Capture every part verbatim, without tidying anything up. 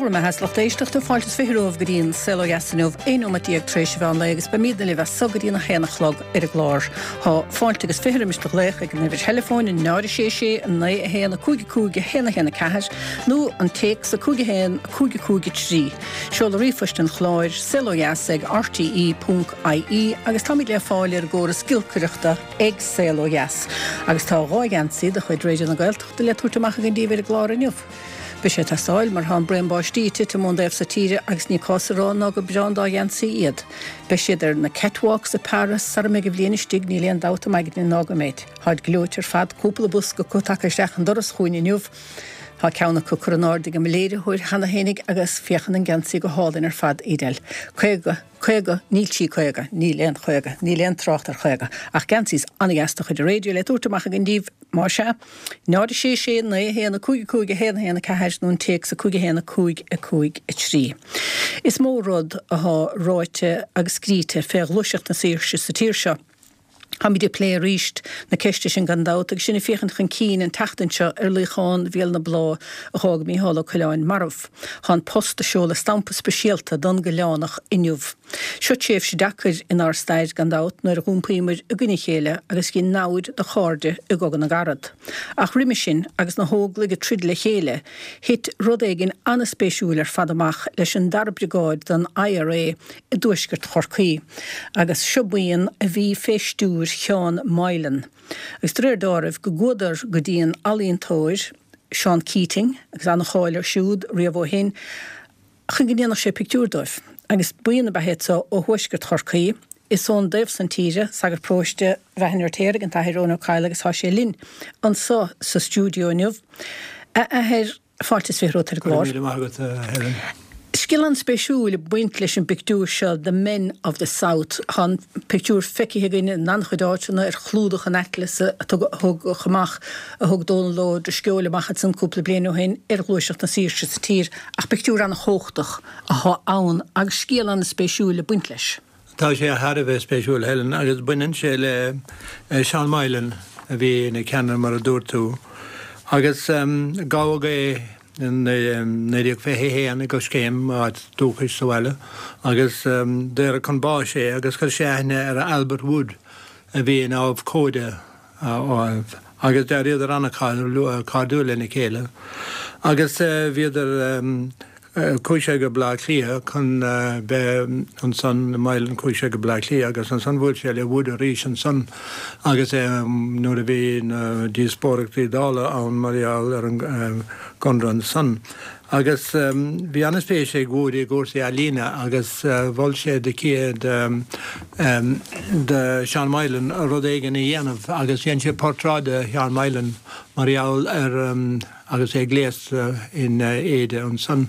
bhur mbeatha, a lucht éisteachta. Fáilte is fiche romhaibh go dtí an Saol Ó Dheas inniu, aon nóiméad déag tar éis an mheán lae, agus beimidne libh as so go dtí an a haon a chlog ar an gclár. Tá fáilte agus fiche roimis do ghlaoch ag an uimhir theileafóin náid a sé sé naoi a haon a cúig a cúig a haon a haon a ceathair nó an téacs a cúig a haon a cúig a cúig a trí. Seoladh ríomhphoist an chláir saol ó dheas ag R T E ponc I E agus táimid le fáil ar an gcóras giolcaireachta ag Saol Ó Dheas. Agus tá dhá gheansaí de chuid Raidió na Gaeltachta le tabhairt amach againn daoibh ar an gclár inniu. Beidh sé ag teastáil mar tá an braon báistí ag titim ón dtaobh so tíre agus ní cás a rá ná gur breá an dá gheansaí iad. Beidh siad ar na catwalks i Paris sara mbeidh an bhliain istigh, níl aon dabht againn ná go mbeidh. Táid gleoite ar fad, cúpla bosca acu tagtha isteach an doras chugainn inniu. Tá ceann acu curtha in airde ag mo léiritheoir cheana féinig agus féachann an geansaí go hálainn ar fad, Edel. Caoga, caoga, níl sí caoga, níl aon chaoga, níl aon trácht ar chaoga, ach geansaí an-deas de chuid raidió le tabhairt amach againn daoibh más ea. Náid sé sé naoi haon a cúig a cúig a haon haon a ceathair nó an téacs a cúig a haon a cúig a cúig a trí. Is mó rud atá ráite agus scríte fé ghluaiseacht na saoirse sa tír seo. Táimid ag plé arís na ceiste sin gan dabht agus sinn ag féachaint chun cinn an tseachtain seo ar luíochán Bhéal na Bláth a thóg Mícheál Ó Coileáin marbh. Tá An Post ag seoladh stampa speisialta don gCoileánach inniu. Seo tréimhse deacair inár stair gan dabht nuair a d'iompaíomar i gcoinne a chéile agus dhein namhaid de chairde i gCogadh na gCarad. Ach roimhe sin agus na hóglaigh ag troid le chéile, thit rud éigin an-spéisiúil ar fad amach leis an dara briogáid den I R A i dtuaisceart Chorcaí. Agus seo buíon a bhí fé stiúir Sheán Moylan. Agus de réir dealraimh go gcuadar go dtí an ealaíontóir Seán Keating agus an-cháil air siúd riamh ó shin, chun go ndéanfadh sé pictiúr dóibh. Agus buíon ab ea iad so ó thuaisceart Chorcaí, is ón dtaobh san tíre, sagart paróiste Bheatha an Fheirtéaraigh, an tAthair Eoin Ó Cadhla, agus tá sé linn anseo sa stiúideo inniu. A Athair, fáilte is fiche romhat ar an gclár. Míle maith agat, Helen. Scéal an-spéisiúil ag baint leis an bpictiúr seo, The Men of the South. Tá an pictiúr feicthe againn in an-chuid áiteanna, ar chlúdach an Atlas a thug amach a thug Dónal Ó Drisceoil amach ansan cúpla bliain ó shin ar ghluaiseacht na saoirse sa tír, ach pictiúr an-chumhachtach atá ann agus scéal an-spéisiúil ag baint leis. Tá sé thar a bheith spéisiúil, Helen, agus baineann sé le Seán Moylan a bhí ina ceannaire, mar a dúirt tú. Agus um, gabhadh é in naoi déag fiche haon i gCoiscéim, áit dúchais sa bhaile, agus um, daoradh chun báis é agus chuir sé aithne ar Albert Wood a bhí ina abhcóide agus d'éiríodar an-chairdiúil lena chéile. Agus uh, bhíodar um, chuaigh sé go Bleá Cliath chun bheith ansan, Moylan, chuaigh sé go Bleá Cliath agus ansan bhuail sé le Wood arís ansan agus nuair a bhí na díospóireachtaí Dála ann mar gheall ar an gconradh ansan. Agus bhí an-spéis ag Wood i gcúrsaí ealaíne agus mhol sé de chéad de Seán Moylan rud éigin a dhéanamh agus dhein sé portráid de Sheán Moylan mar gheall ar agus é gléasta in éide ansan.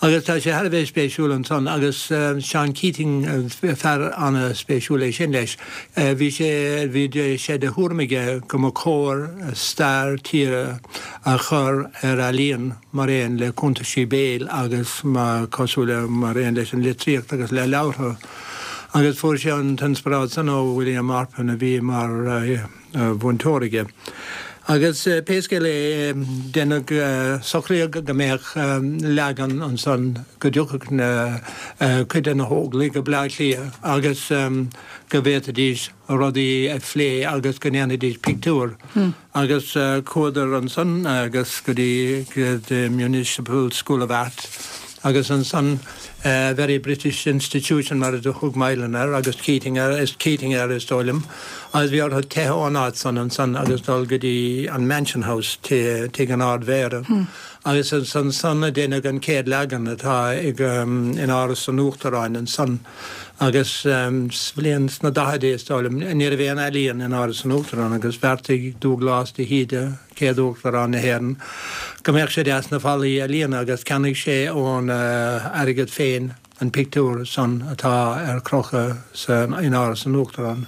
Agus tá sé thar a bheith spéisiúil ansan agus Seán Keating, fear an-spéisiúil é sin leis. Bhí sé bhí sé de thuairim aige go mba chóir stair tíre a chur ar ealaíon mar aon le cuntaisí béil agus mar cosúil mar aon leis an litríocht agus le leabhartha. Agus fuair sé an t-inspioráid san ó William Arpin a bhí mar mhúinteoir aige. Agus pé scéal é, deineadh socraíodh go mbeadh leagan ansan go dtiocfadh na cuid de na hóglaigh go Bleá Cliath agus go bhféadfaidís rudaí a phlé agus go ndéanfaidís pictiúr. Hmm. Agus chuadar ansan agus go dtí the Municipal School of Art agus ansan uh, very British institution mar a thug Moylan air agus Keating air is Keating air is dóigh liom, agus bhí orthu teitheadh ón áit san ansan agus dul go dtí an Mansion House tigh an Ardmhéara. Hmm. Agus san san a deineadh an chéad leagan atá ag um, in Áras an Uachtaráin ansan. Agus um, bliain sna daichidí is dóigh liom ní raibh aon ealaíon in Áras an Uachtaráin agus bheartaigh Dúglás de hÍde, céad Uachtarán na hÉireann, go mbeadh sé deas na fallaí a líonadh agus cheannaigh sé ón uh, airgead féin an pictiúr san atá ar crochadh san in Áras an Uachtaráin.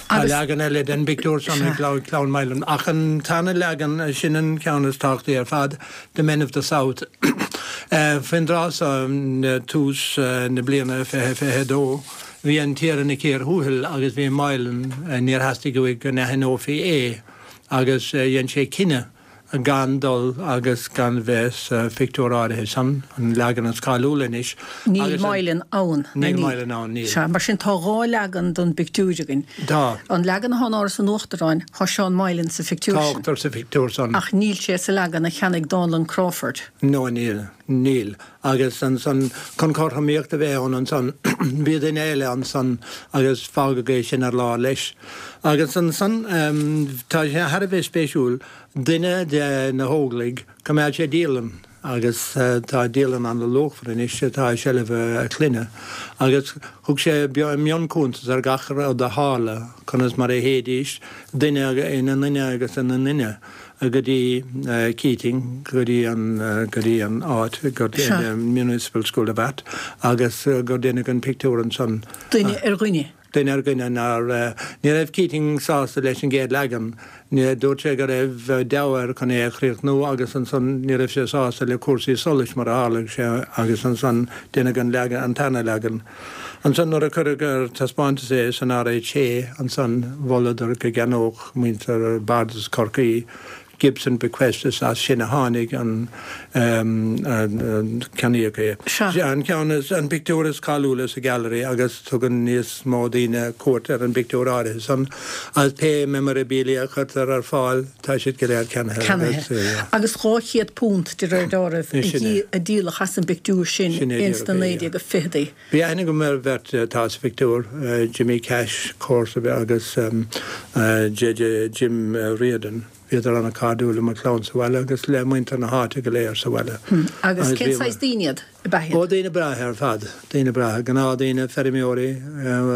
Tá leagan eile den bpictiúr san ag Clann Moylan ach an t-aon leagan sin an ceann is tábhachtaí ar fad, The Men of the South. Uh, Faoin dtráth tús uh, na bliana fiche fiche dó, bhí an tír ina cíor thuathail agus bhí Moylan uh, níor theastaigh uaidh go n-aithneofaí é agus dhein sé cinneadh gan dul agus gan bheith sa phictiúr áirithe san, an leagan is cáiliúla anois. Níl Moylan ann. Níl Moylan ann, níl. Sea, mar sin tá dhá leagan den bpictiúr againn. Tá. An leagan atá in Áras an Uachtaráin, tá Seán Moylan sa phictiúr Tá sin. ochtar sa phictiúr san. Ach níl sé sa leagan a cheannaigh Dánlann Crawford. No, níl. Níl. Agus ansan, chun cothromaíocht a bheith ann ansan, bhí duine eile ansan agus fágadh é sin ar lár leis. Agus ansan, tá sé thar a bheith spéisiúil, duine de na hÓglaigh, choimeád sé dialann agus tá dialann an-luachmhar anois atá i seilbh a clainne agus thug sé mionchuntas ar gach rud a tharla, conas mar a théidís, duine ina nduine agus ina nduine go dtí Keating, go dtí an, go dtí an áit gur Municipal School of Art agus gur deineadh an pictiúr ansan. Duine ar dhuine. Duine ar dhuine nár, ní raibh Keating sásta leis an gcéad leagan. Dúirt sé go raibh deabhadh air chun é a chríochnú agus ansan ní raibh sé sásta le cúrsaí solais mar a tharla sé agus ansan deineadh an leagan, an tarna leagan. Ansan nuair a cuireadh ar taispeántas é san RHA ansan mholadar go gceannódh muintir Bardas Chorcaí Gibson bequest is as sin a tháinig an ceannaíodh é. Sea. An ceann is, an pictiúr is cáiliúla sa Gallery agus tugann níos mó daoine cuairt ar an bpictiúr áirithe san agus pé memorabilia a chuirtear ar fáil tá siad go léir ceannaithe. Ceannaithe. Agus dhá chéad punt de réir dealraimh a díoladh as an bpictiúr sin ins na naoi déag fichidí. Bhí aithne agam ar bheirt atá sa phictiúr, Jimmy Cash, comharsa agus J J Jim Riordan. Bhíodar an-chairdiúil le mo chlann sa bhaile agus le muintir na háite go léir sa bhaile. Agus cén saghas daoine iad, ab ea iad? Ó, daoine breátha ar fad. Daoine breátha. Gnáthdhaoine, feirmeoirí,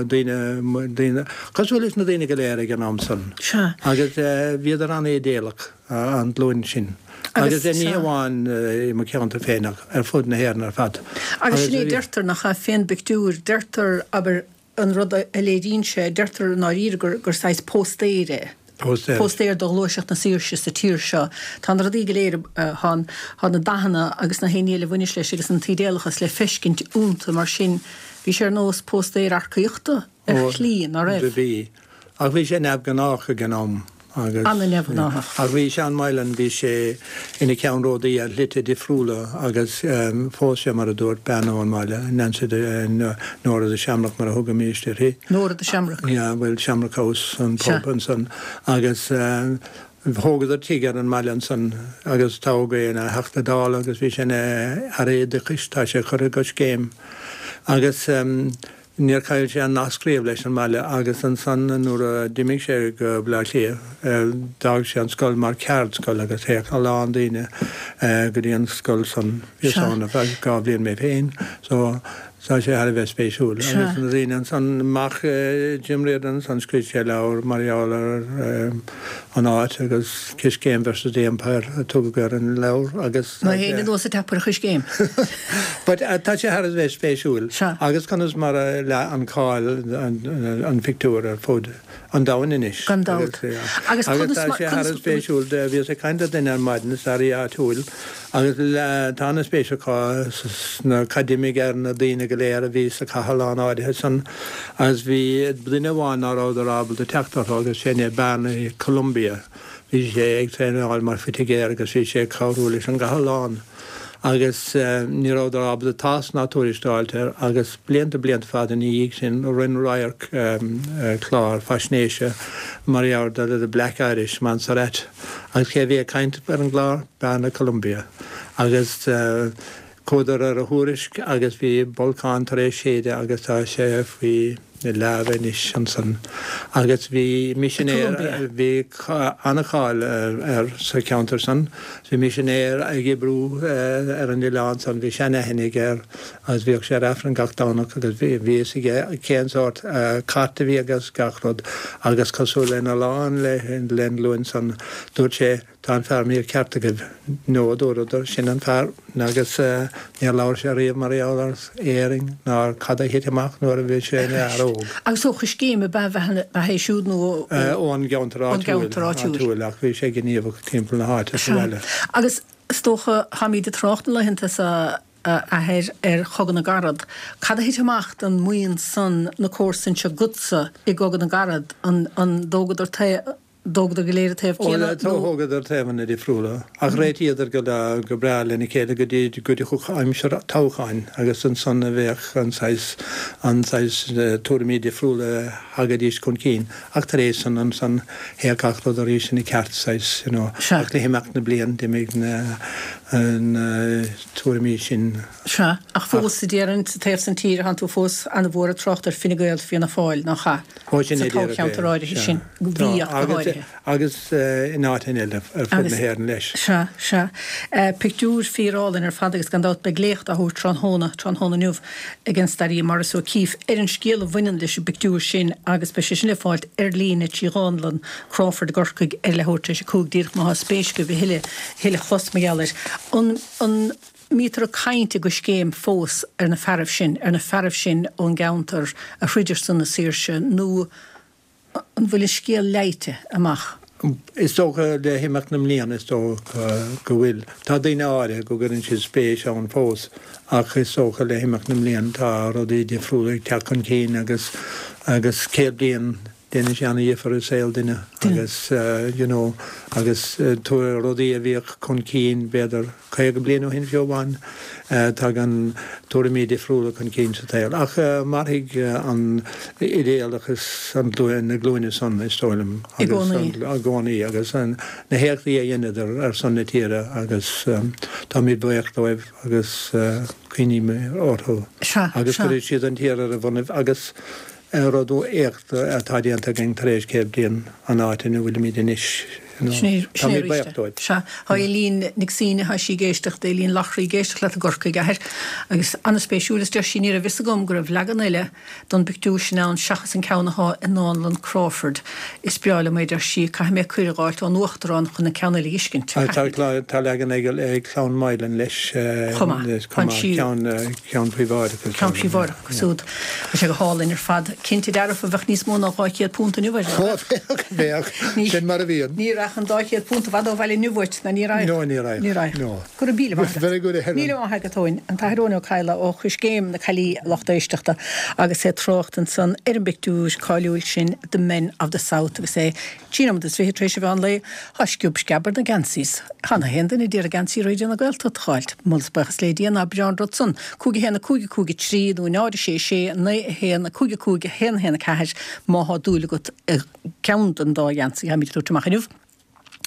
daoine, daoine, cosúil leis na daoine go léir ag an am san. Sea. Agus bhíodar an-idéalach, an ghlúin sin. Agus ní hamháin i mo cheantar féin ach ar fud na hÉireann ar fad. Agus sin é, deirtear nach ea, fén bpictiúr, deirtear, abair, an rud a léiríonn sé, deirtear i ndáiríre gur, gur saghas póstaer é. Póstaer. Póstaer do ghluaiseacht na saoirse sa tír seo. Tá na rudaí go léir, tá, tá na dathanna agus na haon ní eile a bhaineas leis agus an t-ídéalachas le feiscint iontu mar sin bhí sé ar nós póstaer earcaíochta ar shlí, ná raibh? Do bhí. Ach bhí sé neamhghnách ag an am agus. An-neamhghnáthach. Ach bhí Seán Moylan, bhí sé ina cheannródaí ar shlite difriúla agus phós sé, mar a dúirt, bean ón mbaile, Nancy de, Nora the Shamrock mar a thugaimíst uirthi. Nora the Shamrock. Yeah, bhuel, Shamrock House, an pub ansan. Agus thógadar tigh ar an mbaile ansan agus toghadh é ina Theachta Dála agus bhí sé ina Aire Oideachais, tá sé curtha i gcoiscéim. Agus níor chaill sé an nasc riamh leis an mbaile agus ansan nuair a d'imigh sé go Baile Átha Cliath d'fhág sé an scoil mar cheardscoil agus théadh a lán daoine go dtí an scoil san. Bhíos ann ar feadh dhá bhliain mé féin so tá sé thar a bheith spéisiúil. Agus na daoine ansan, mac Jim Riordan ansan scríobh sé leabhar mar gheall ar an áit agus Coiscéim versus the Empire a tugadh ar an leabhar agus. Ná héin anuas ag teip ar Choiscéim. But tá sé thar a bheith spéisiúil. Agus conas mar a leath an cáil an phictiúr ar fud an domhain anois. Gan dabht. Agus tá sé thar a bheith spéisiúil, bhíos ag caint le duine ar maidin, staraí áitiúil, agus tá an-spéis acu sna cad d'imigh ar na daoine go léir a bhí sa chathlán áirithe san agus bhí duine amháin ná rabhadar ábalta teacht orthu agus sin é Barney Columbia. Bhí sé ag traenáil mar phoitigéir agus bhí sé ag cabhrú leis an gcathlán agus ní rabhadar ábalta tásc ná tuairisc a fháilt air agus blianta blianta fada ina dhiaidh sin rinne Radharc clár faisnéise mar gheall ar The Black Irish Montserrat agus cé a bhí ag caint ar an gclár? Barney Columbia agus chuadar ar a thuairisc agus bhí bolcán tar éis séideadh agus tá sé faoi leaba anois ansan. Agus bhí misinéir, bhí an-cháil air sa cheantar san, bhí misinéir ag oibriú ar an oileán san, bhí seanaithne aige air agus bhíodh sé ar Aifreann gach Domhnach agus bhí fhios aige cén sórt cait a bhí aige agus gach rud agus cosúil lena lán len ghlúin san, dúirt sé, Tá an fear mícheart agaibh. No, a dúradar, sin an fear. Agus níor labhair sé riamh mar gheall ar Éirinn ná ar cad a thit amach nuair a bhí sé ina fhear óg. Agus ó Choiscéim ab ea é siúd nó ó. Ón gceantar áitiúil, ach bhí sé gníomhach timpeall na háite sa bhaile. Agus is dócha, táimid ag trácht na laethanta seo, a Athair, ar Chogadh na gCarad. Cad a thit amach don mbuíon san, na comharsain seo agatsa i gCogadh na gCarad? An dtógadar tae? D'thógadar go léir an taobh céanna nó? Thógadar taobhanna difriúla ach réitíodar go go breá lena chéile go dtí go dtiocfadh aimsir toghcháin agus ansan a bheadh an saghas an saghas tuairimí difriúla a thagaidís chun cinn ach tar éis san ansan théadh gach rud arís ina ceart saghas you know ach le himeacht na blian d'imigh na na tuairimí sin. Sea, ach fós a déarfainn sa taobh san tíre thánn tú fós ana-mhór ag trácht ar Fine Gael Fianna Fáil nach ea? Ó sin Sa é díreach é, toghcheantar áirithe sea. sin, Tá, bhí ach go agus háirithe. agus in áiteanna eile ar fud na Agus, hÉireann leis. sea, sea. Pictiúr fíor-álainn ar fad agus gan dabht beidh léacht á thabhairt tráthnóna, tráthnóna inniu ag an staraí Maurice O'Keeffe ar an scéal a bhaineann leis an bpictiúr sin agus beidh sé sin le fáilt ar líne trí Dhánlann Crawford i gCorcaigh ar leathuair tar éis a cúig díreach má thá spéis agaibh a thuilleadh, a thuilleadh a chlos mar gheall air. An, an mbítear ag caint i gCoiscéim fós ar na fearaibh sin, ar na fearaibh sin ón gceantar a throid ar son na saoirse nó an bhfuil an scéal leite amach? Is dócha le himeacht na mblian is dócha go bhfuil. Tá daoine áirithe go gcuireann siad spéis ann fós ach is dócha le himeacht na mblian tá rudaí difriúla ag teacht chun cinn agus agus céad bliain déanann sé an-dhifear i saol duine agus you know agus rudaí a bhíodh chun cinn b'fhéidir caoga bliain ó shin fiú amháin tagann tuairimí difriúla chun cinn sa tsaol. Ach mairfidh an idéalachas an na glúine san is dóigh liom I gcónaí. I gcónaí agus na héachtaí a dheineadar ar son na tíre agus táimid buíoch dóibh agus cuimhnímid orthu. Sea, Agus sea. chuir siad an tír ar a bonnaibh agus rud éacht atá déanta againn tar éis céad bliain an áit ina bhfuilimid anois. Sin é Táimid arís buíoch é. dóibh. Sea, tá Eileen Nic Suibhne, tá sí ag éisteacht, Eileen Lochraí ag éisteacht leat i gCorcaigh, a athair, agus an-spéisiúil is deir sí ní raibh fhios agam go raibh leagan eile don bpictiúr sin ann seachas an ceann athá i nDánlann Crawford. Is breá liom é, deir sí, caithfidh mé cuireadh a dh'fháilt ón Uachtarán chun an ceann eile a dh'fheiscint. Tá tá leagan ag ag Clann Mylan leis Chomh maith. chomh maith, ceann ceann príobháideach. Ceann príobháideach acu siúd. Tá sé go hálainn ar fad. Cinnte dearfa bheadh níos mó ná dhá chéad punt inniu air. Ó, bheadh, bheadh. Sin mar a bhíonn. Ní raghadh an dá chéad punt i bhfad ó bhaile inniu uait, ná ní raghadh. No, ní raghadh. Ní raghadh. No. Go raibh míle maith agat. Very good, a Helen. Míle maith agat, Eoin. An tAthair Eoin Ó Cadhla ó Choiscéim na Caillí, lucht éisteachta, agus é ag trácht ansan ar an bpictiúr cáiliúil sin The Men of the South agus é trí nóiméad is fiche tar éis an mheán lae. Tá sciob sceab ar na geansaís. Chan haon duine d'iarraidh geansaí Raidió na Gaeltachta a dh'fháilt. Moladh is buíochas le Dia ná breá an rud san. Cúig a haon a cúig a cúig a trí nó náid a sé sé naoi a haon a cúig a cúig a haon a haon a ceathair má thá dúil agat i gceann den dá gheansaí tháimid ag tabhairt amach inniu.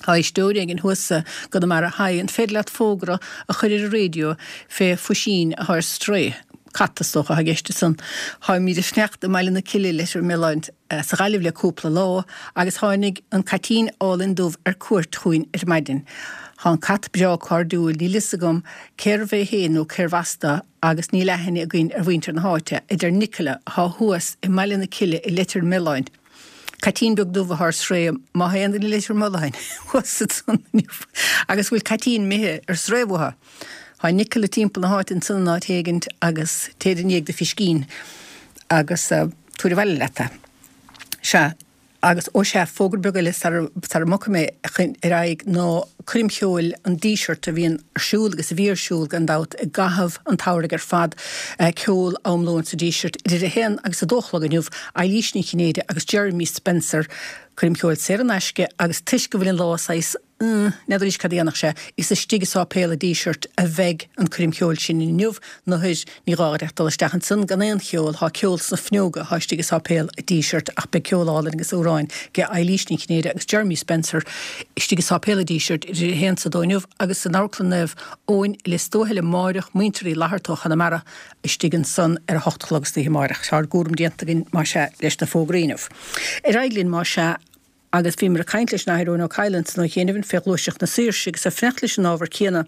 Tá éisteoir éigin thuas i gConamara. Haigh, an féidir leat fógra a chur ar an raidió fé phuisín atá ar strae? Cat is dócha atá i gceist ansan. Tháimid ag fanacht i mBaile na Cille Leitir Mealláin sa Ghaillimh le cúpla lá agus tháinig an caitín álainn dubh ar cuairt chugainn ar maidin. Tá an cat breá cairdiúil, níl fhios agam cérbh é féin nó cérbh as dó agus níl aithne againn ar mhuintir na háite, a deir Nicola atá thuas i mBaile na Cille i Leitir Mealláin. Caitín beag dubh atá ar strae, má tha aon duine i Leitir Mealláin thuas ansan inniu agus bhfuil caitín imithe ar strae uathu. Tá Nicola timpeall na háite ansan in áit éigint agus téid i ndiaidh do phiscín agus tabhair abhaile leat é. Sea, agus ó sea, fógra beag eile sara sara mbogfaidh mé ar aghaidh ná coirm cheoil an Dísirt a bhíonn ar siúl agus a bhí ar siúl gan dabht i gcaitheamh an tsamhraidh ar fad, ceol am lóin sa Díseart idir a haon agus a dó a chlog inniu, Eilís Ní Chinnéide agus Jeremy Spencer, coirm cheoil saor in aisce agus toisc go bhfuil an lá saghas n'fheadar arís cad a dhéanfadh sé, is istigh i sáipéal an Dísirt a bheidh an coirm cheoil sin inniu, nuair ní gá duit ach dul isteach ansan gan aon cheol, thá ceol sna fuinneoga athá istigh i sáipéal an Dísirt ach beidh ceol álainn agus amhráin ag Eilís Ní Chinnéide agus Jeremy Spencer istigh i sáipéal an Dísirt idir a haon 's a dó inniu agus san Amharclann Naomh Eoin i Lios Tuathail amáireach, Muintir Uí Fhlatharta ó Chonamara istigh ansan ar a hocht a chlog istoíche amáireach. Tá ár gcúram déanta againn más ea leis na fógraí inniu. Ar aghaidh linn más ea. Agus bhíomar ag caint leis an Athair Eoin Ó Cadhla ansan ó chianaibh fé ghluaiseacht na saoirse agus ag fanacht leis an ábhar céanna.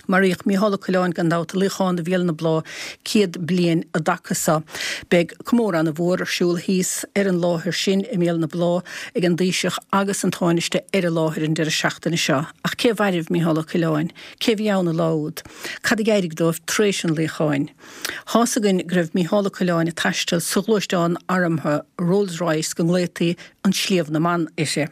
Maraíodh Mícheál Ó Coileáin gan dabht i luíochán do Bhéal na Blá céad bliain an dtaca seo. Beidh comóradh ana mhór ar siúl thíos ar an láthair sin i mBéal na Blá ag an dTaoiseach agus an Tánaiste ar an láthair an deireadh seachtaine seo. Ach cé mhairbh Mícheál Ó Coileáin? Cé bhí ann an lá úd? Cad a d'éirigh dóibh tar éis an luíocháin? Thá's againn go raibh Mícheál Ó Coileáin ag taisteal sa ghluaisteán armtha Rolls Royce go nglaotaí an Sliabh na mBan uirthi.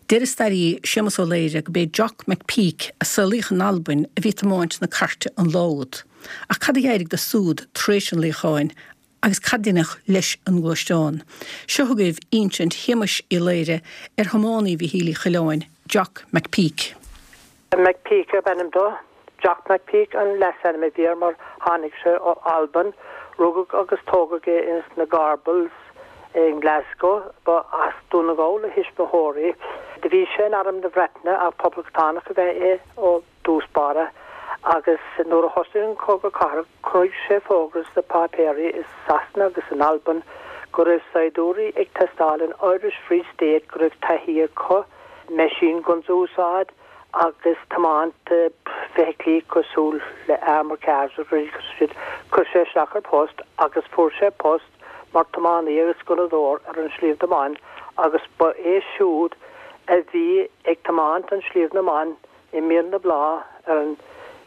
Deir an staraí Séamus Ó Laoire go b'é Jock McPeak a saolaíodh in Albain a bhí ag tiomáint na cairte an lá úd. Ach cad a d'éirigh dó súd tar éis an luíocháin agus cad deineadh leis an ngluaisteán. Seo chugaibh insint Shéamuis Uí Laoire ar thiománaí Mhichíl Uí Choileáin, Jock McPeak. McPeak ab ainm dó. Jock McPeak an leasainm a bhí air mar tháinig sé ó Albain, rugadh agus tógadh é ins na Gorbals in Glasgow, ba as Dún na nGall a thuismitheoirí. Do bhí sé in arm na Breataine ach poblachtánach ab ea é ó dtús báire agus nuair a thosaigh an Cogadh Cathartha chonaic sé fógra sna páipéirí i Sasana agus in Albain go raibh saighdiúirí ag teastáil in Irish Free State go raibh taithí acu machine guns a úsáid agus tiomáint feithiclí cosúil le armored cars agus rudaí cosúil sin. Chuir sé isteach ar post agus fuair sé post mar tiománaí agus gunnadóir ar an Sliabh na mBan agus ba é siúd a bhí ag tiomáint an Sliabh na mBan i Mín na Blá ar an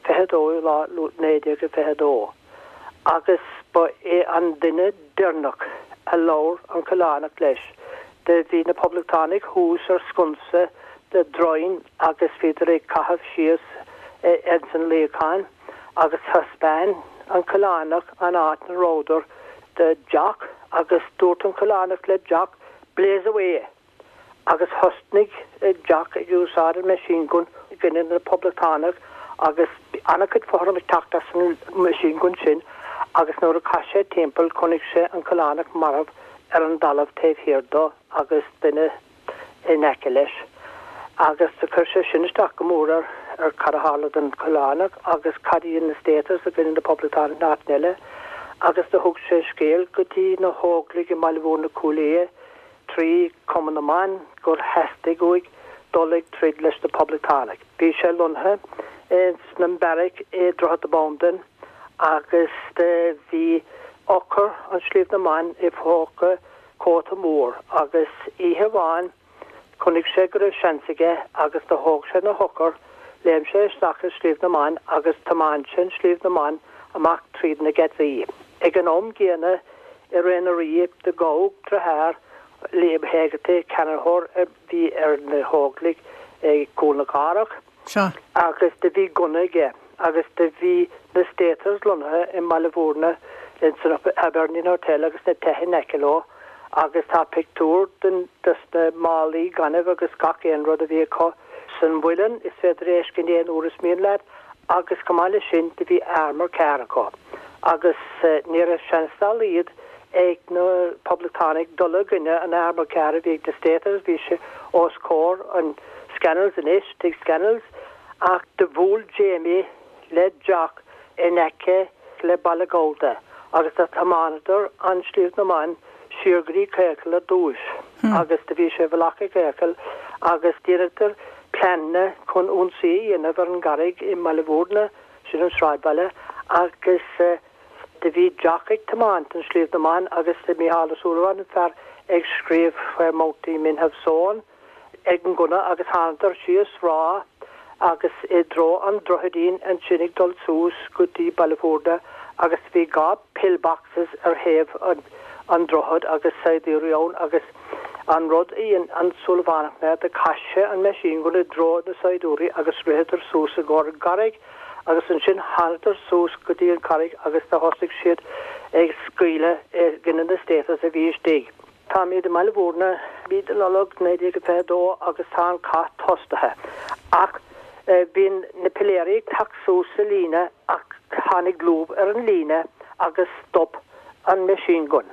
fiche dó lá naoi déag fiche dó. Agus ba é an duine deireanach a labhair an Coileánach leis. Do bhí na poblachtánaigh thuas ar sconsa de dhroim agus bhíodar ag caitheamh síos ins an luíochán agus thaispeáin an Coileánach an áit ina rabhadar do Jock agus dúirt an Coileánach le Jock blaze away. Agus thosnaigh Jock ag úsáid an machine gun i gcoinne na poblachtánach agus an-chuid fothram ag teacht as an machine gun sin agus nuair a chas sé timpeall chonaic sé an Coileánach marbh ar an dtalamh taobh thiar dó agus duine in aice leis. Agus do chuir sé sin isteach go mór ar ar cad a tharla don Choileánach agus cad iad na Staters a gcoinne na poblachtánaigh in áit eile agus do thug sé scéal go dtí na hÓglaigh i mBaile Mhúirne Cúil Aodha trí Cumann na mBan gur theastaigh uaidh dul ag troid leis na poblachtánaigh. Bhí sé lonnaithe sna beairic i Droichead na Bandan agus bhí eochair an Sliabh na mBan i phóca cóta mór agus oíche amháin chonaic sé go raibh seans aige agus do thóg sé na heochair, léim sé isteach i Sliabh na mBan agus thiomáin sé an Sliabh na mBan amach tríd na geataí. Ag an am gcéanna i ré na Rí do gabhadh deartháir Liam Hegarty ceannaitheoir a bhí ar na hÓglaigh ag Cúl na Cathrach agus do bhí gunna aige agus do bhí na Staters lonnaithe i mBaile Mhúirne in san Hibernian Hotel agus na tithe in aice leo agus tá pictiúr den des na málaí gainimh agus gach aon rud a bhí acu san mhuileann is féidir é a fheiscint aon uair is mian leat agus chomh maith leis sin do bhí armored car acu agus ní raibh seans dá laghad ag na poblachtánaigh dul i gcoinne an armored car a bhí ag na Staters bhí sé os comhair an Scannells anois tigh Scannells ach do bhuail Jamie le Jock in aice le Baile Ghabhta agus do thiomáineadar an Sliabh na mBan siar go dtí Caocal ar dtús agus do bhí sé i bhfolach i gCaocal agus dheineadar pleananna chun ionsaí a dhéanamh ar an gCarraig i mBaile Mhúirne sin an sráidbhaile agus do bhí Jock ag tiomáint an Sliabh na mBan agus de Micheál Ó Súilleabháin an fear ag scríobh Where Mountie Men Have Sown ag an gunna agus thánadar síos Ráth agus i dtreo an droichidín ansin ag dul suas go dtí Baile Mhúirne agus bhí dhá pillboxes ar thaobh an an droichead agus saighdiúirí ann agus an rud a dhein an Súilleabhánach ná do chaith sé an machine gun i dtreo na saighdiúirí agus ritheadar suas i gcomhair an gcarraig agus ansin thánadar suas go dtí an carraig agus do thosaigh siad ag scaoileadh i gcoinne na Staters a bhí istigh. Táimid i mBaile Mhúirne mí de Nollaig naoi déag fiche dó agus tá an cath tosaithe. Ach bíonn na piléirí ag teacht suas sa líne ach tháinig lúb ar an líne agus stop an machine gun.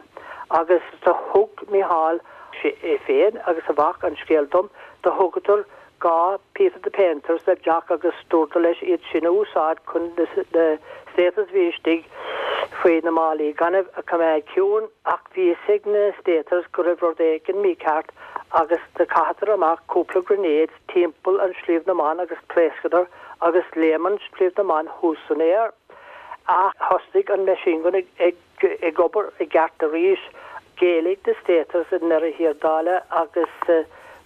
Agus do thug Micheál é féin agus a mhac an scéal dom do thugadar dhá Peter the Painters le Jock agus dúradar leis iad sin a úsáid chun na Staters a bhí istigh faoi na málaí gainimh a choimeád ciúin ach bhí a fhios ag na Staters go raibh rud éigin mícheart agus do chaitheadar amach cúpla grenades timpeall an Sliabh na mBan agus phléascadar agus léim an Sliabh na mBan thuas san aer. Ach thosaigh an machine gun ag ag obair i gceart arís d'éalaigh na Staters i ndeireadh thiar dála agus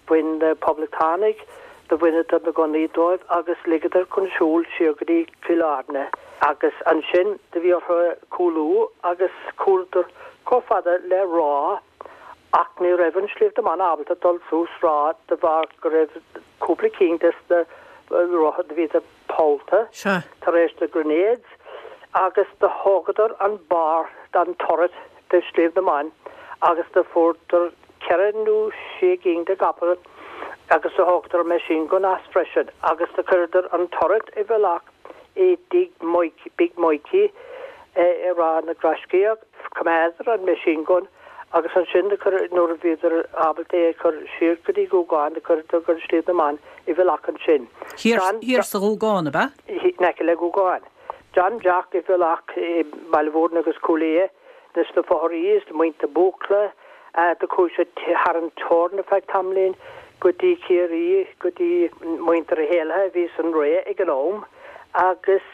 bhain na poblachtánaigh do bhaineadar na gunnaí dóibh agus ligeadar chun siúil siar go dtí Cill Airne agus ansin do bhí orthu cúlú agus chúladar chomh fada le Ráth ach ní raibh an Sliabh na mBan ábalta dul suas Ráth de bharr go raibh cúpla cinn des na rotha do bhíodar pollta tar éis na grenades agus do thógadar an barr den turret de Shliabh na mBan agus do fuaireadar ceithre nó sé gcinn de gcapall agus do thógadar machine gun as freisin agus do chuireadar an turret i bhfolach i dtigh Big Mikey i Ráth na nGaiscíoch. Choimeádar an machine gun agus ansin do chuir nuair a bhíodar ábalta é a chur siar go dtí Gúgán do chuireadar go Sliabh na mBan i bhfolach ansin. Thiar sa Ghúgán, ab ea? In aice le Gúgán. D'fhan Jack i bhfolach i mBaile Mhúirne agus Cúil Aodha ins na fothrachaí is muintir Búcla. Do chuaigh sé thar an teorainn ar feadh tamaillín go dtí Ciarraí, go dtí muintir Uí hÉallaithe a bhí san Ré ag an am agus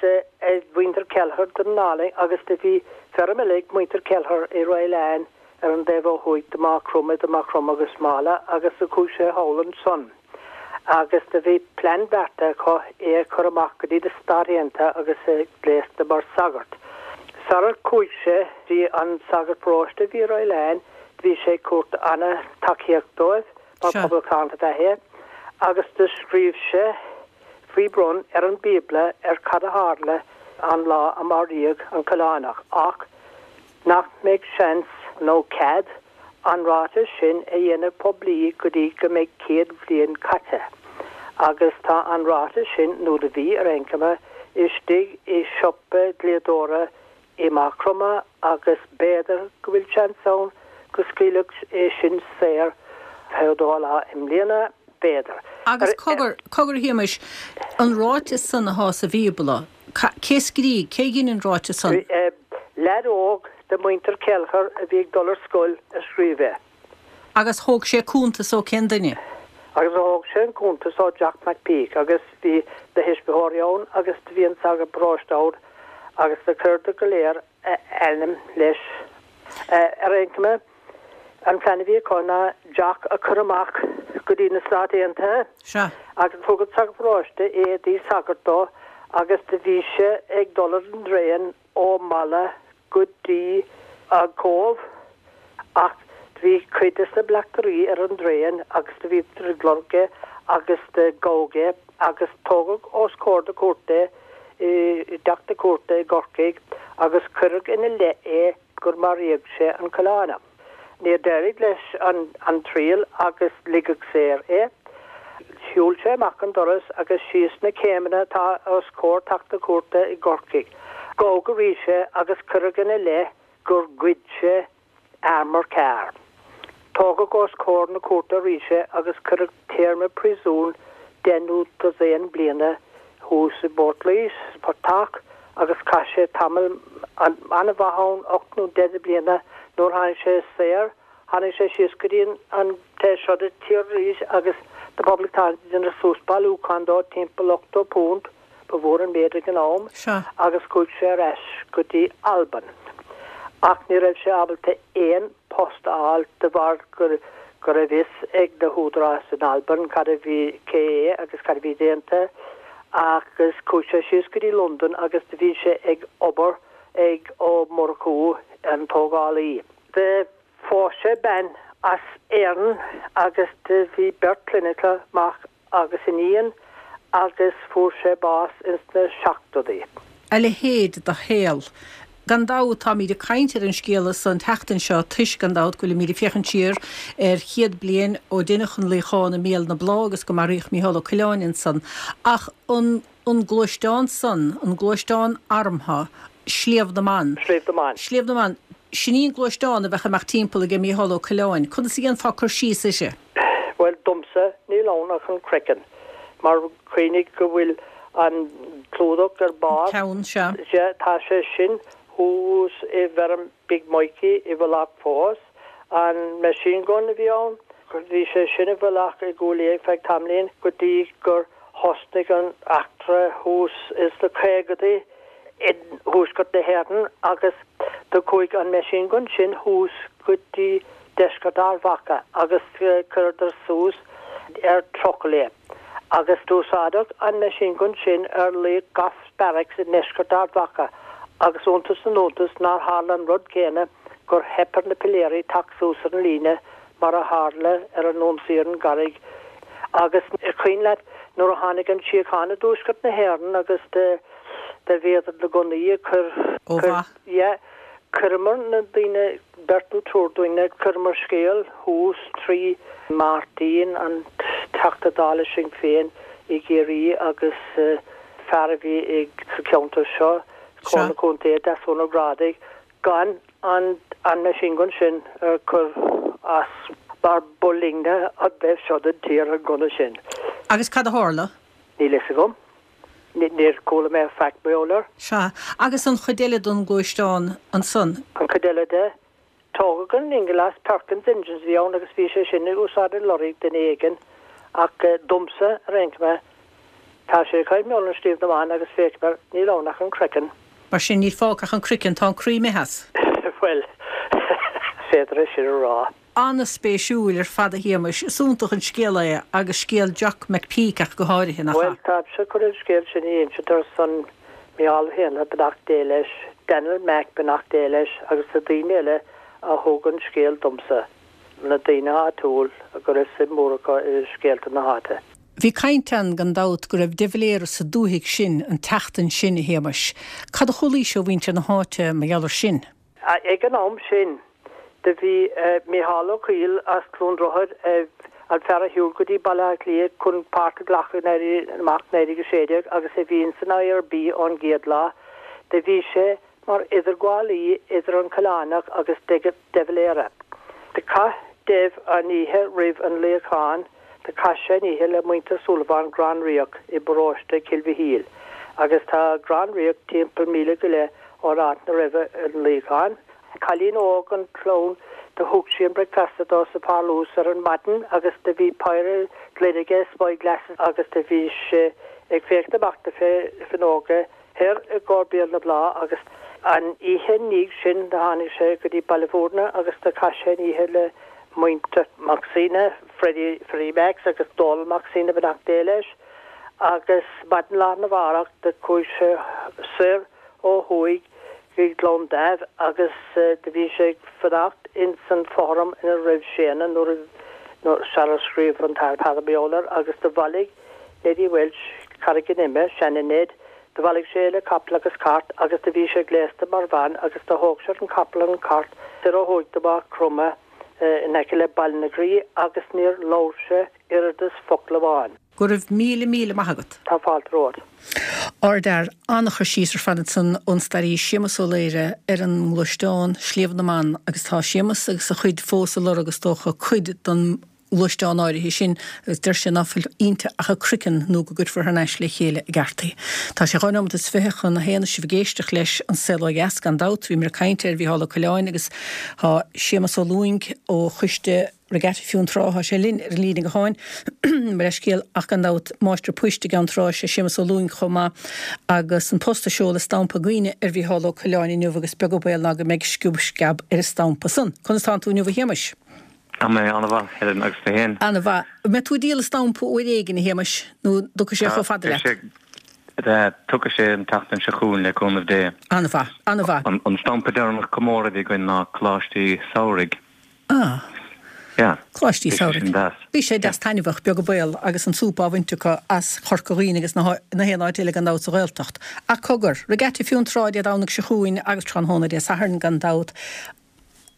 muintir Kelleher den Álainn agus do bhí feirm eile ag muintir Kelleher i Ragh ar an dtaobh ó thuaidh de Maigh Chromtha idir Maigh Chromtha agus Mála agus do chuaigh sé thall ansan agus do bhí plean beartaithe acu é a chur amach go dtí na Stáit Aontaithe agus é gléasta mar sagart. Sarar chuaigh sé bhí an sagart paróiste a bhí i Ragh bhí sé ag tabhairt an-tacaíocht dóibh mar poblachtánach ab ea é agus do scríobh sé faoi bhrón ar an Bíobla ar cad a tharla an lá a maraíodh an Coileánach ach nach mbeidh seans nó cead an ráiteas sin a dhéanamh poiblí go dtí go mbeidh céad bhliain caite. Agus tá an ráiteas sin, nó do bhí ar aon chuma, istigh i siopa dlíodóra i Maigh Chromtha agus b'fhéidir go bhfuil seans ann go scaoilfeadh é sin saor fiche dó lá i mbliana, b'fhéidir. Agus cogar, cogar a Shéamais, an ráiteas san athá sa Bhíobla, cé scrígh, cé dhein an ráiteas san? Leaid óg de mhuintir Kelleher a bhí ag dul ar scoil a scríobh é. Agus thóg sé cuntas ó cén duine? Agus thóg sé an cuntas ó Jack McPeak agus bhí na thuismitheoirí ann agus do bhí an sagart paróiste ann agus do chuireadar go léir a ainm leis. Ar aon chuma, an plean a bhí acu ná Jack a chur amach go dtí na Stáit Aontaithe. Sea. Agus thug an sagart paróiste éadaí sagairt dó agus do bhí sé ag dul ar an dtraein ó Mala go dtí an Cóbh ach do bhí cuid de na bleachtairí ar an dtraein agus do bhíodar ag lorg é agus do gabhadh é agus tógadh os comhair na cúirte i dteach na cúirte i gCorcaigh agus cuireadh ina leith é gur maraíodh sé an Coileánach. Níor d'éirigh leis an triail agus ligeadh saor é. Shiúil sé amach an doras agus síos na céimeanna atá os comhair teach na cúirte i gCorcaigh. Gabhadh arís é agus cuireadh ina leith gur ghoid sé armour car. Tógadh os comhair na cúirte arís é agus cuireadh téarma príosúin deich nó dosaen bliana thuas i bPortlaoise, sa Phortach, agus chaith sé tamall an-mhaith ann, ocht nó deich de bliana. Nuair tháinig sé saor, tháinig sé síos go dtí an taobh seo de tír arís agus na Poblachtánaigh ag déanamh suas bailiúchán dó, timpeall ochtó punt, ba mhór an méid ag an am, agus chuaigh sé ar ais go dtí Albain. Ach ní raibh sé ábalta aon post a fháil de bharr go go raibh fhios ag na húdaráis in Albain cad a bhí, cé é agus cad a bhí déanta agus chuaigh sé síos go dtí Londain agus do bhí sé ag obair ag Ó Murchú, an tógálaí. Do phós sé bean as Éirinn agus do bhí beirt clainne acu, mac agus iníon, agus fuair sé bás ins na seachtóidí. A leithéid de shaol. Gan dabht táimid ag caint ar an scéala so an tseachtain seo toisc, gan dabht, go bhfuilimid ag féachaint siar ar chéad bliain ó deineadh an luíochán i mBéal na Blá agus go maraíodh Mícheál Ó Coileáin ansan. Ach an an gluaisteán san, an gluaisteán armtha, Sliabh na mBan. Sliabh na mBan. Sliabh na mBan. Sin í an gluaisteán a bheadh ag imeacht timpeall aige Mícheál Ó Coileáin. Conas a dhéanfá cur síos uirthi? Bhuel, domsa, níl ann ach an craiceann. Mar cuimhnigh go bhfuil an clúdach ar barr. Ceann, sea. Sea, tá sé sin thuas i bhfeirm Big Mikey i bhfolach fós. An machine gun a bhí ann, bhí sé sin i bhfolach i gCúil Aodha feadh tamaillín go dtí gur thosnaigh an eachtra thuas ins na caogadaí i dtuaisceart na hÉireann agus do chuaigh an machine gun sin thuas go dtí deisceart Ard Mhacha agus chuireadar suas ar trucail é agus d'úsáideadh an machine gun sin ar Laoch Goffs Barracks i ndeisceart Ard Mhacha agus iontas na n-iontas nár tharla an rud céanna gur theip ar na piléirí teacht suas ar an líne mar a tharla ar an ionsaí ar an gCarraig agus is cuimhin leat nuair a tháinig an tsíocháin i dtuaisceart na hÉireann agus do do bhíodar na gunnaí ag cur Ó mhaith. yeah Chuireamar na daoine, beirt nó triúr daoine, chuireamar scéal thuas trí Martin, an Teachta Dála Sinn Féin i gCiarraí agus fear a bhí ag sa cheantar seo, Comhairle Contae, Deasún Ó Grádaigh, gan an an machine gun sin a chur as mar ba linne an taobh seo den tír an gunna sin. Agus cad a tharla? Níl fhios agam. Níor chuala mé faic mar gheall air. Sea. Agus an chuid eile den ghluaisteán ansan? An chuid eile de? Tógadh an ingeall as, Perkins Engines a bhí ann agus bhí sé sin ag úsáid i lorry duine éigin ach domsa, ar aon chuma, tá sé ag caint ar Shliabh na mBan agus féachaim air, níl ann ach an craiceann. Mar sin níl fágtha ach an craiceann, tá an croí imithe as. Bhuel, is féidir é sin a rá. An-spéisiúil ar fad a Shéamais. Is iontach an scéal é agus scéal Jock McPeak ach go háirithe, nach Bhuel, ea? táimse chun an scéal sin a insint ar son Micheál Ó hÉanaithe, beannacht Dé leis, Daniel Mac, beannacht Dé leis, agus na daoine eile a thug an scéal domsa, na daoine áitiúil go raibh suim mhór acu i scéalta na háite. Bhí caint ann gan dabht go raibh de Valera sa dúthaigh sin an tseachtain sin, a Shéamais. Cad a chualaís ó mhuintir na háite mar gheall air sin? Ag an am sin do bhí Micheál Ó Cuill as Cluain Droichead, an fear a shiúil go dtí Baile Átha Cliath chun páirt a ghlacadh in Éirí Amach naoi déag a sé déag agus a bhí ins an I R B ón gcéad lá, do bhí sé mar idirghabhálaí idir an Coileánach agus de Valera. Do chaith Dev an oíche roimh an luíochán, do chaith sé an oíche le muintir Súilleabháin Gleann Ríoch i bparóiste Chill Mhichíl, agus tá Gleann Ríoch timpeall míle go leith ón áit 'na raibh an luíochán. Cailín óg an chlann do thug sí an bricfeasta dó sa pharlús ar an maidin agus do bhí péire gloine aige, spyglasses, agus do bhí sé ag féachaint amach na fuinneoga thoir i gcomhair Béal na Bláth agus an oíche ndiaidh sin do tháinig sé go dtí Baile Bhúirne agus do chaith sé an oíche le muintir Mac Suibhne, Freddie, Freddie Max agus Dónal Mac Suibhne, beannacht Dé leis, agus maidin lá arna mhárach do chuaigh sé soir ó thuaidh go Gleann Damh agus do bhí sé ag fanacht ins an fothram ina raibh Séanna nuair a sara scríobh an tAthair Peadar mar gheall air agus do bhailigh Neddy Walsh Carraig an Ime, seana Ned, do bhailigh sé le capall agus cairt agus do bhí sé gléasta mar bhean agus do thóg sé an capall an cairt soir ó thuaidh go Maigh Chromtha in aice le Baile na Graí agus níor labhair sé oiread is focal amháin. Go raibh míle míle maith agat. Tá fáilte romhat. Ardfhear, an-chur síos ar fad ansan ón staraí Séamus Ó Laoire ar an ngluaisteán Sliabh na mBan agus tá Séamus agus a chuid fós ag lorg is dócha cuid den ghluaisteán áirithe sin agus deir sé ná fuil inti ach a craiceann nó go gcuirfear thar n-ais le chéile i gceart í. Tá sé dhá nóiméad is fiche chun a haon sibh ag éisteacht leis An Saol Ó Dheas gan dabht, bhíomar ag caint ar Mhícheál Ó Coileáin agus tá Séamus Ó Lúing ó Choiste Regatta Fionntrá, tá sé linn ar an líne gutháin mar leithscéal ach gan dabht máistir poist i gCeann Trá sé Séamus Ó Lúing chomh maith agus an post a seoladh stampa cuimhne ar Mhícheál Ó Coileáin inniu agus beag an baol ná go mbeidh sciob sceab ar an stampa san. Conas tánn tú inniu a Shéamais? Tá mé an-mhaith Helen agus tú féin. An-mhaith. Mbeidh tú ag díol stampa uair éigin a Shéamais nó dtiocfaidh sé chomh fada leat? Tiocfaidh sé an tseachtain seo chugainn le cúnamh Dé. An-mhaith, an-mhaith. An stampa deireanach comóradh a bhí againn ná Coláistí Samhraidh. Ah. Yeah. Coláistí Samhraidh. Bhí sé deas taitneamhach beag an baol agus an súp á bhaint acu as Corca Dhuibhne agus na haon áit eile gan dabht sa Ghaeltacht. Ach cogar, Regatta Fionntrá Dé Domhnaigh seo chugainn agus tráthnóna Dé Sathairn gan dabht.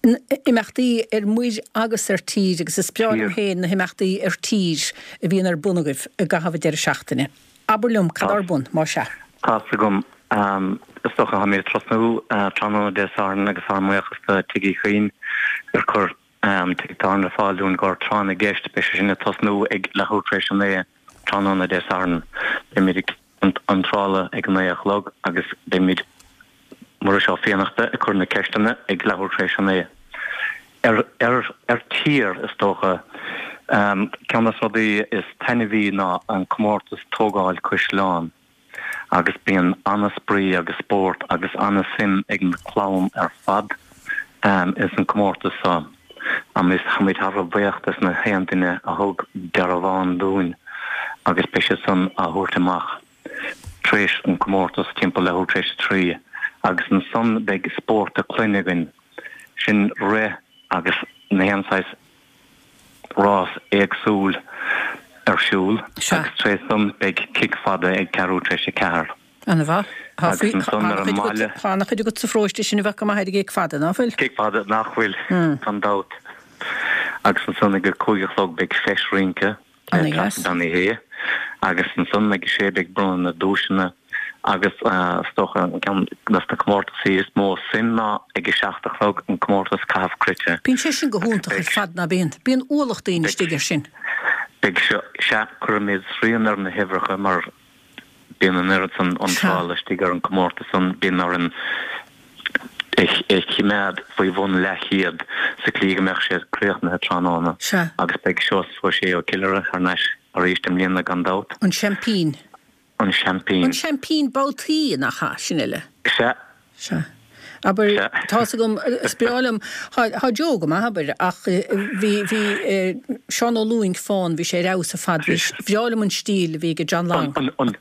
Imeachtaí ar muir agus ar tír agus is breá liom féin na himeachtaí ar tír a bhíonn ar bun agaibh i gcaitheamh an deireadh seachtaine. Abair liom cad ar bun, má sea. Tá's agam is dócha táimid ag tosnú tráthnóna Dé Sathairn agus ár mbuíochas do Tigh Uí Chuinn gur chuir an tigh tábhairne ar fáil dúinn do tráth na gceist beidh sé sin ag tosnú ag leathuair tar éis a naoi tráthnóna Dé Sathairn. Beimid ag iontráil ag a naoi a chlog agus beimid Muiris Ó Fiannachta ag cur na ceisteanna ag leathuair tar éis a naoi. Ar, ar, ar tír, is dócha, ceann de na rudaí is taitneamhaí ná an comórtas tógáil caisleán agus bíonn an-spraoi agus spórt agus an-suim ag na clann ar fad ins an comórtas seo. Agus táimid thar a bheith buíoch des na haon duine a thug dearbhán dúinn agus beidh siad san á thabhairt amach. Tar éis an comórtas timpeall leathuair tar éis a trí agus ansan beidh spórt na clainne againn, sin rith agus na haon saghas rás éagsúil ar siúl agus tar éis san beidh cic fada ag ceathrú tar éis a ceathair. Ana-mhaith. Agus ansan ar an mbaile. Tá ana-chuid agat sa pharóiste sin a bheadh go maith ar an gcéic fada, ná fuil? Céic fada, nach bhfuil, gan dabht. Agus ansan ag a cúig a chlog beidh feis rince le Treasa Bean Uí Shé. Agus ansan ag a sé beidh bronnadh na duaiseanna agus is dócha an ceann de na comórtasaí is mó suim ná ag a seacht a chlog an comórtas caitheamh cruite. Bíonn sé sin go hiontach ar fad, ná bíonn? Bíonn ualach daoine istigh air sin. Beidh seo, sea, cuirfimid srian ar na huimhreacha mar bíonn an oiread san iontrála istigh ar an gcomórtas san, bíonn orainn é a choimeád faoi bhun leathchéad sa tslí go mbeadh sé críochnaithe tráthnóna. Sea. Agus beidh Seosamh Ó Sé ó Chill Dara thar n-ais arís i mbliana gan dabht. An seaimpín. An seaimpín. An seaimpín babhtaí, nach ea? Sin uile. Sea. Sea. Abair, tá's agam, is breá liom, thá Joe go maith, abair, ach bhí, bhí Seán Ó Lúing fán, bhí sé ar fheabhas ar fad, bhí, bhreá liom an stíl a bhí ag John Long. An, an,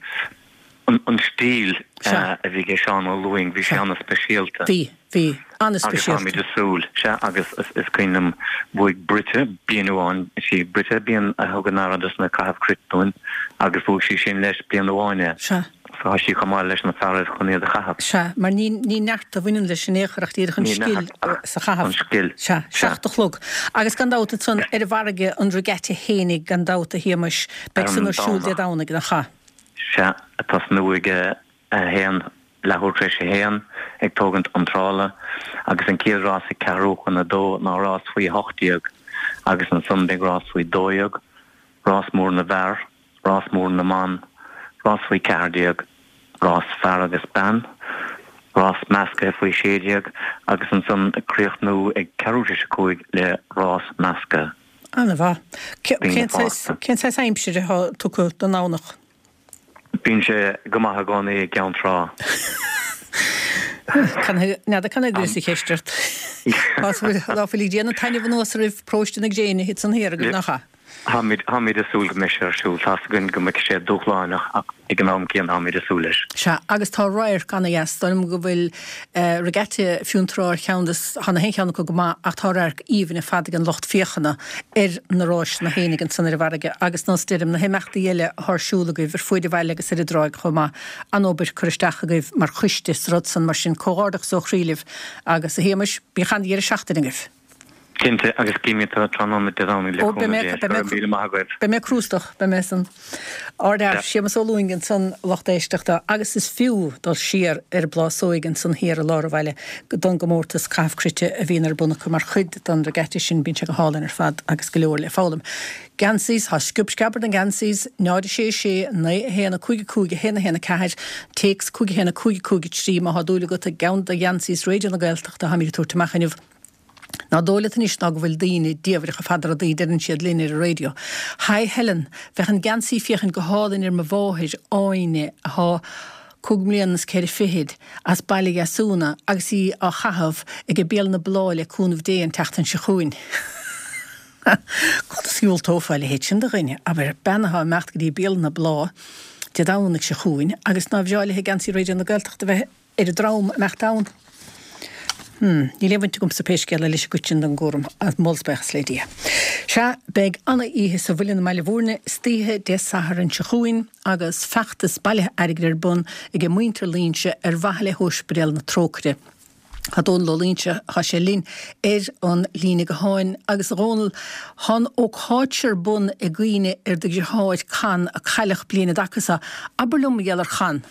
an, an stíl a bhí ag Seán Ó Lúing, bhí sé an-speisialta. Bhí, bhí, an-speisialta. Agus táimid ag súil, sea, agus is cuimhin liom, bhuaigh Britta bliain amháin, is í Britta bean a thugann aire dos na caithimh cruit dúinn, agus bhuaigh sí sin leis bliain amháin é. Sea. So tá sí chomh maith leis na fearaibh chun iad a chaitheamh. Sea, mar ní, ní neart a bhaineann leis in aon chor ach díreach an scil sa chaitheamh. An scil. Sea, seacht a chlog. Agus gan dabht ansan ar an bhfarraige an regatta fhéinig gan dabht a Shéamais, beidh san ar siúl Dé Domhnaigh, nach ea? Sea, ag tosnú ag a haon, leathuair tar éis a haon, ag tógaint iontrála, agus an chéad rás ag ceathrú chun a dó ná rás faoi a hocht déag, agus ansan beidh rás faoi dó dhéag, rás mór na bhfear, rás mór na mban, rás faoi ceathair déag, rás fear agus bean, rás meascaithe faoi sé déag agus ansan ag críochnú ag ceathrú tar éis a cúig le rás meascaithe. An-mhaith. Daoine fásta. Cén saghas aimsire atá tugtha don Domhnach? Bíonn sé go maith i gcónaí i gCeann Trá. N'fheadar cad a gcuireas an cheist ort. Ná fuil ag déanamh taitneamh anuas oraibh paróiste na gréine thit san thiar agaibh, nach ea? Táimid, táimid ag súil go mbeidh sé ar siúl. Tá's againn go mbeidh sé dúshlánach ach ag an am céanna táimid ag súil leis. Sea, agus tá radharc ana-dheas. Dóigh liom go bhfuil Regatta Fionntrá ar cheann des, tá na haon cheann acu go maith ach tá radharc aoibhinn ar fad ag an lucht féachana ar na ráiseanna fhéinig ansan ar an bhfarraige agus nós deirim na himeachtaí eile atá ar siúl agaibh ar fuaid an bhaile agus ar an dtráigh chomh maith. An-obair curtha isteach agaibh mar choiste sa rud san mar sin comhghairdeachas ó chroí libh agus a Shéamais, bíodh an-deireadh seachtaine agaibh. Cinnte, agus guímid tú tráthnóna Dé Domhnaigh le cúnamh Dé. Go raibh míle maith agaibh. Beidh mé crústach, beidh mé san. Ardfhear, Séamus Ó Lúing ansan, lucht éisteachta, agus is fiú dul siar ar an bPlásóig ansan thiar i lár an bhaile don gcomórtas caitheamh cruite a bhíonn ar bun acu mar chuid den regatta sin, bíonn sé go hálainn ar fad agus go leor le foghlaim. Geansaí, tá sciob sceab ar na geansaí, náid a sé sé, naoi a haon a cúig a cúig a haon a haon a ceathair, téacs cúig a haon a cúig a cúig a trí má thá dúil agat i gceann de gheansaí Raidió na Gaeltachta atáimid ag tabhairt amach inniu. Ná dóigh leat anois ná go bhfuil daoine diamhrach ar fad ar rudaí a deireann siad linn ar an raidió. Hi Helen, bheadh an geansaí féachaint go hálainn ar mo mháthair, Áine, athá cúig mbliana is ceithre fichid, as Baile Dheasúna agus í á chaitheamh ag Béal na Bláth le cúnamh Dé an tseachtain seo chugainn. Conas a dhiúltófá a leithéid sin de dhuine? Abair, bean athá ag imeacht go dtí Béal na Bláth Dé Domhnaigh seo chugainn agus nár bhreá léi geansaí Raidió na Gaeltachta a bheith ar an dream a mbeadh ann. Hmm, níl aon bhaint agamsa pé scéal é leis an gcuid sin den gcúram, moll 's buíochas le Dia. Sea, beidh ana-oíche sa Mhuileann i mBaile Bhúirne istoíche Dé Sathairn seo chugainn agus feachtas bailithe airgid ar bun ag muintir Loingsigh ar mhaithe le hÓispidéal na Trócaire. Tá Dónal Ó Loingsigh, tá sé linn ar an líne gutháin. Agus a Dhónaill, tá an ócáid seo ar bun i gcuimhne ar do dheartháir Con a cailleadh bliain an dtaca seo. Abair liom mar gheall ar Chon.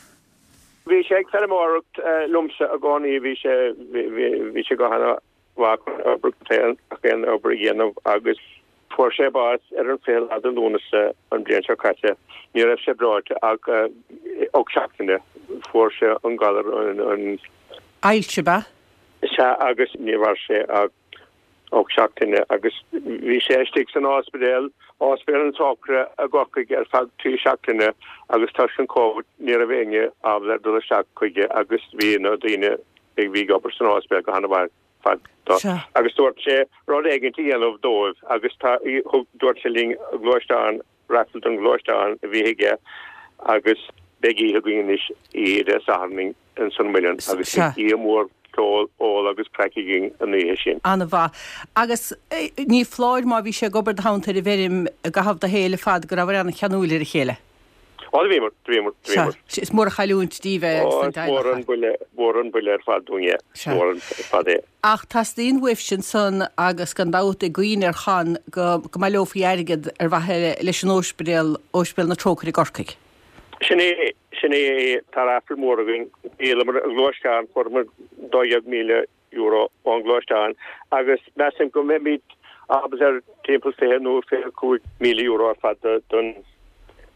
Bhí sé ag feirmeoireacht liomsa i gcónaí, bhí sé, bhí sé go hana-mhaith chun obair, gach aon obair a dhéanamh agus fuair sé bás ar an fiche lá de Lúnasa an bhliain seo caite. Ní raibh sé breoite ach ocht seachtaine, fuair sé an galar, an. Ailse, ab ea? Sea, agus ní mhair sé ach ocht seachtaine agus bhí sé istigh san ospidéal, Ospidéal na Trócaire i gCorcaigh ar feadh trí seachtaine agus toisc an Covid ní raibh éinne ábalta dul isteach chuige agus bhí na daoine a bhí ag obair san ospidéal go hana-mhaith ar fad dó agus dúirt sé rud éigin a dhéanamh dóibh agus tá, thug, dúirt sé linn gluaisteán, raffle don ghluaisteán a bhí aige agus beidh oíche againn anois oíche Dé Sathairn ins an Muileann agus beidh oíche mhór ceol, ól agus craic againn an oíche sin. An-mhaith. Agus ní foláir má bhí sé ag obair i do theannta ar an bhfeirm i gcaitheamh do shaoil ar fad go rabhabhair an-cheanúil ar a chéile? Ó, do bhíomar, do bhíomar, do bhíomar. Sea, is mór an chailliúint daoibh é agus don Ó, is mór dteaghlach. an buille, mór an buille ar fad dúinn é. Sea. Mór an ar fad é. Ach teastaíonn uaibhse ansan agus gan dabht i gcuimhne ar Chon go go mbaileofaí airgead ar mhaithe leis an Óispidéal, Óispidéal na Trócaire i gCorcaigh. Sin é, sin é, tá raffle mór againn. Dhíolamar an gluaisteán, fuaireamar dó dhéag míle euro ón ngluaisteán agus measaim go mbeimid ábalta ar timpeall fiche nó fiche cúig míle euro ar fad don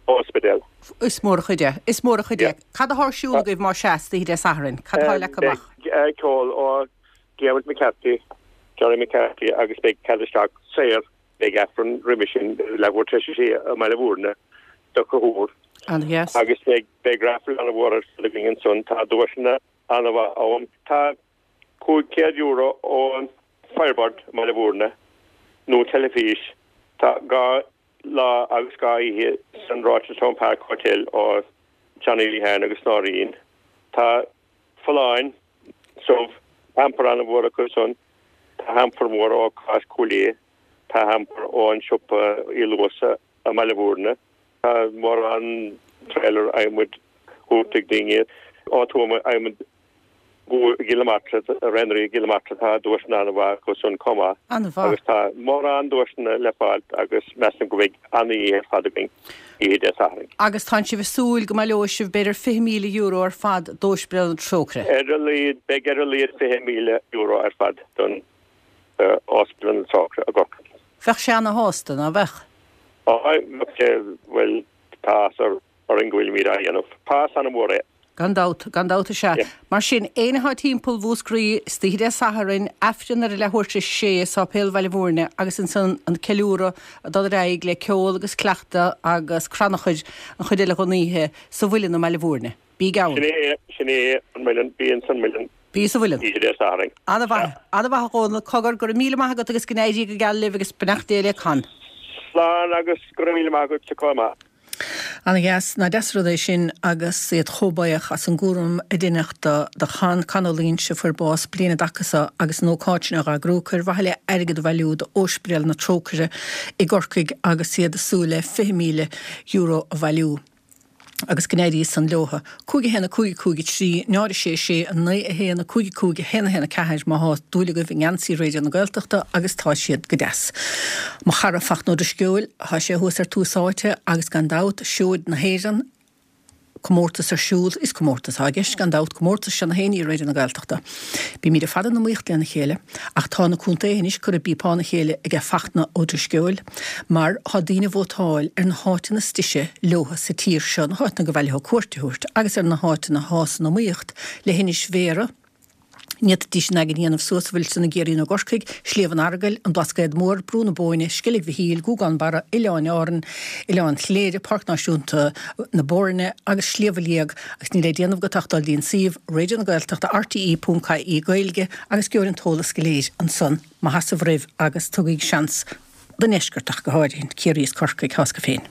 ospidéal. Is mór an chuid é. Is mór an chuid é. Cad atá ar siúl agaibh má sea, oíche Dé Sathairn? Cad atá leagtha amach? Beidh ceol ó Diarmuid McCarthy, Johnny McCarthy agus beidh cead isteach saor. Beidh Aifreann roimhe sin leathuair tar éis a sé i mBaile Mhúirne do Conchúr. An-dheas. Agus beidh beidh raffle an-mhór ar siúl againn ansan. Tá duaiseanna an-mhaith ann. Tá cúig chéad euro ón Firebird i mBaile Mhúirne nó teilifís. Tá dhá lá agus dhá oíche san Rochestown Park Hotel ó Johnny Lehane agus Noreen. Tá Folláin, subh, hamper an-mhór acu san, tá hamper mór ó Cáis Cúil Aodha, tá hamper ón siopa Uí Luasa i mBaile Mhúirne, tá mórán trailer adhmaid thabhairt ag daoine ó Tuama adhmad i gCill na Martra, Raonraí i gCill na Martra, tá duaiseanna an-mhaith acu san chomh maith. An-mhaith. Agus tá mórán duaiseanna le fáil agus measaim go mbeidh an-oíche ar fad againn oíche Dé Sathairn. Agus tánn sibh ag súil go mbaileoidh sibh b'fhéidir fiche míle euro ar fad d'Óispidéal na Trócaire. Ar a laghad, beidh ar a laghad fiche míle euro ar fad don Ospidéal na Trócaire i gCorcaigh. Bheadh sé ana-shásta, ná bheadh? Á, bheadh sé, bhuel, tá áthas orainn go bhfuilimid á dhéanamh. Tá an-mhór é. Gan dabht, gan dabht is ea. Mar sin, éinne atá timpeall Mhúscraí istoíche Dé Sathairn, Aifreann ar a leathuair tar éis a sé i Sáipéal Bhaile Mhúirne agus ansan an ceiliúradh ag dul ar aghaidh le ceol agus cleachtadh agus crannchur an chuid eile den oíche sa Mhuileann i mBaile Mhúirne. Bígí ann. Sin é, sin é an Muileann, bí ins an Muileann. Bí sa Mhuileann. Oíche Dé Sathairn. Ana-mhaith, ana-mhaith a Dhónaill, cogar, go raibh míle maith agat agus go n-éirí go geal libh agus beannacht Dé le Con. Slán agus go raibh míle maith agat chomh maith. Ana-dheas, nach deas an rud é sin agus iad chomh buíoch as an gcúram a deineadh do do Chon, Con Ó Loingsigh a fuair bás bliain i dtaca so agus an ócáid sin á eagrú acu ar mhaithe le airgead a bhailiú d'Óispidéal na Trócaire i gCorcaigh agus iad ag súil le fiche míle euro a bhailiú. Agus go n-éirí san leotha. Cúig a haon a cúig a cúig a trí, náid a sé sé a naoi a haon a cúig a cúig a haon a haon a ceathair má thá dúil agaibh i ngeansaí Raidió na Gaeltachta agus tá siad go deas. Mo chara Fachtna Ó Drisceoil, thá sé thuas ar Tús Áite agus gan dabht seoid na hÉireann, comórtas ar siúl, is comórtas atá i gceist gan dabht, comórtas seo na hÉireann i Raidió na Gaeltachta. Bímid ar fad in iomaíocht lena chéile, ach tá na contaetha anois curtha i bpíopán a chéile aige Fachtna Ó Drisceoil, mar tá daoine ag vótáil ar na háiteanna is deise leotha sa tír seo, na háiteanna gur mhaith leo cuairt a thabhairt, agus ar na háiteanna atá san iomaíocht le hInis Bhéarra, Ní fhéadfaidís an eagan a dhéanamh suas a bhfuil san i gCiarraí nó i gCorcaigh, Sliabh an Earagail, an Blascaod Mór, Brú na Bóinne, Sceilg Mhichíl, Gougane Barra, Oileáin Árann, Oileán Chléire, Páirc Náisiúnta na Boirne agus Sliabh a Liag agus níl le déanamh agat ach dul dtí'n suíomh Raidió na Gaeltachta R T E ponc I E Gaeilge agus gheobhair an t-eolas go léir ansan. Maith as sibh roimh agus tugaigí seans don ndeisceart ach go háirithe, Ciarraí is Corcaigh, thá 's agat féin.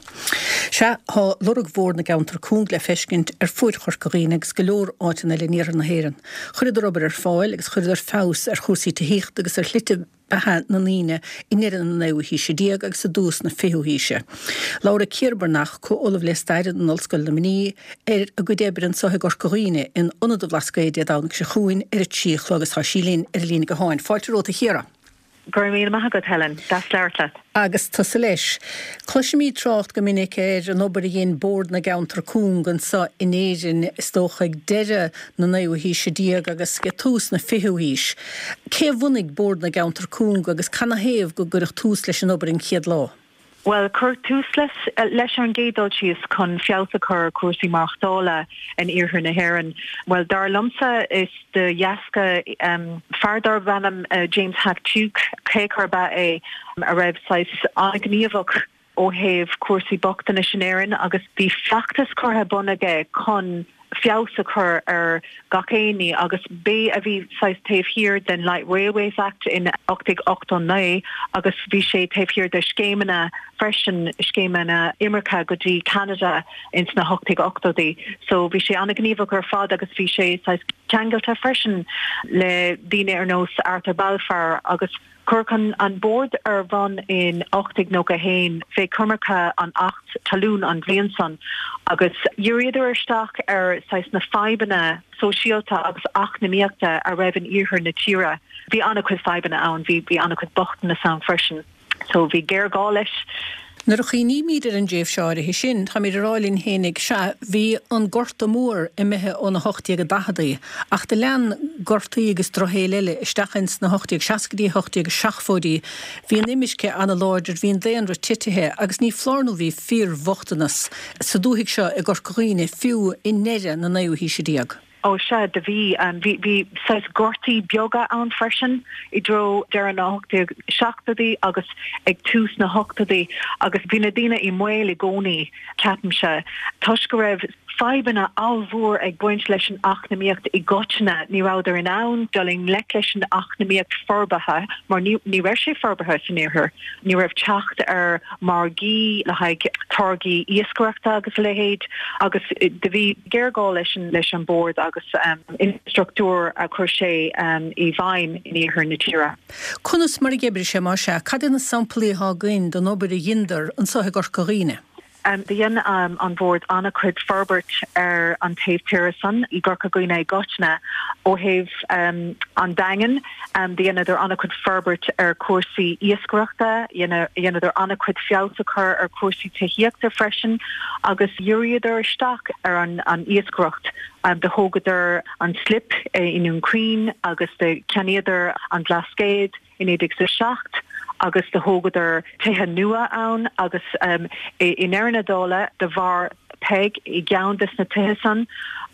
Sea, thá lorg mhór na gceantar cúng le feiscint ar fuaid Chorca Dhuibhne agus go leor áiteanna eile in iarthar na hÉireann. Chuireadar obair ar fáil agus chuireadar feabhas ar chúrsaí tithíochta agus ar shlite beatha na ndaoine i ndeireadh na naoú haoise déag agus i dtús na fichiú haoise. Labharfaidh Ciara Breathnach, comh-ollamh le stair in Ollscoil Luimnigh, ar a gcuid oibre anseo i gCorca Dhuibhne in Ionad an Bhlascaoid Dé Domhnaigh seo chugainn ar a trí a chlog agus tá sí linn ar an líne gutháin. Fáilte romhat a Chiara. Go raibh míle maith agat, Helen. Deas labhairt leat. Agus tusa leis. Cloisimid trácht go minic ar an obair a dhein Bord na gCeantar Cúng anseo in Éirinn, is dócha ag deireadh na naoú haoise déag agus ag tús na fichiú haois. Cé a bhunaigh Bord na gCeantar Cúng agus canathaobh go gcuireadh tús leis an obair an chéad lá? Bhuel, cuireadh tús leis, leis ar an gcéad dul síos chun feabhas a chur ar chúrsaí maireachtála in iarthar na hÉireann. Bhuel, dar liomsa is de dheasca um, fear darb ainm uh, James Hack Tuke, Quaker ba é a raibh saghas an-ghníomhach ó thaobh cúrsaí bochtanais in Éirinn agus bhí feachtas curtha bun aige chun feabhas a chur ar gach éinne agus b'é a bhí saghas taobh thiar den Light Railways Act in ocht déag ochtó naoi agus bhí sé taobh thiar de scéimeanna freisin scéimeanna imirce go dtí Canada ins na hocht déag ochtóidí. So bhí sé an-ghníomhach ar fad agus bhí sé saghas ceangailte freisin le daoine ar nós Arthur Balfour agus Cuireadh an Bord ar bun in ocht déag nócha a haon fé choimirce an Acht Talún an bhliain san agus dhíríodar isteach ar saghas na fadhbanna sóisialta agus eacnamaíochta a raibh in iarthar na tíre. Bhí an-chuid fadhbanna ann, bhí bhí an-chuid bochtanas ann freisin. So bhí géarghá leis. Nuair a chuimhnímid ar an dtréimhse áirithe sin, táimid ag rá linn fhéinig, sea, bhí an Gorta Mór imithe ó na hocht déag daicheadaí, ach do lean gortaí agus drochshaol eile isteach ins na hocht déag seascaidí, hocht déag seachtóidí. Bhí an imirce ana-láidir, bhí an daonra titithe agus ní foláir nó bhí fíorbhochtanas sa dúthaigh seo i gCorca Dhuibhne fiú i ndeireadh na naoú haoise déag. Ó sea, do bhí. Bhí, bhí saghas gortaí beaga ann freisin i dtreo deireadh na hocht déag seachtóidí agus ag tús na hochtóidí agus bhí na daoine i mbaol i gcónaí, ceapaimse, toisc go raibh fadhbanna ollmhór ag baint leis an eacnamaíocht i gcoitinne. Ní rabhadar in ann dul i ngleic leis an eacnamaíocht forbartha mar ní, ní raibh sé forbartha san iarthar. Ní raibh teacht ar margaí le haghaidh táirgí iascaireachta agus a leithéid agus do bhí géarghá leis an, leis an Bord agus infrastruchtúr a chuir sé i bhfeidhm in iarthar na tíre. Conas mar a d'oibrigh sé, más ea? Cad é na samplaí atá againn den obair a dheineadar anso i gCorca Dhuibhne? Do dhein an Bord an-chuid forbairt ar an taobh tíre san i gCorca Dhuibhne i gcoitinne. Ó thaobh an Daingin, do dheineadar an-chuid forbairt ar chúrsaí iascaireachta, dheineadar an-chuid feabhas a chur ar chúrsaí tithíochta freisin agus dhíríodar isteach ar an iascaireacht. Do thógadar an slip i nDún Chaoin agus do cheannaíodar an Blascaod i naoi déag is a seacht agus do thógadar tithe nua ann agus i ndeireadh na dála do mhair Peig i gceann des na tithe san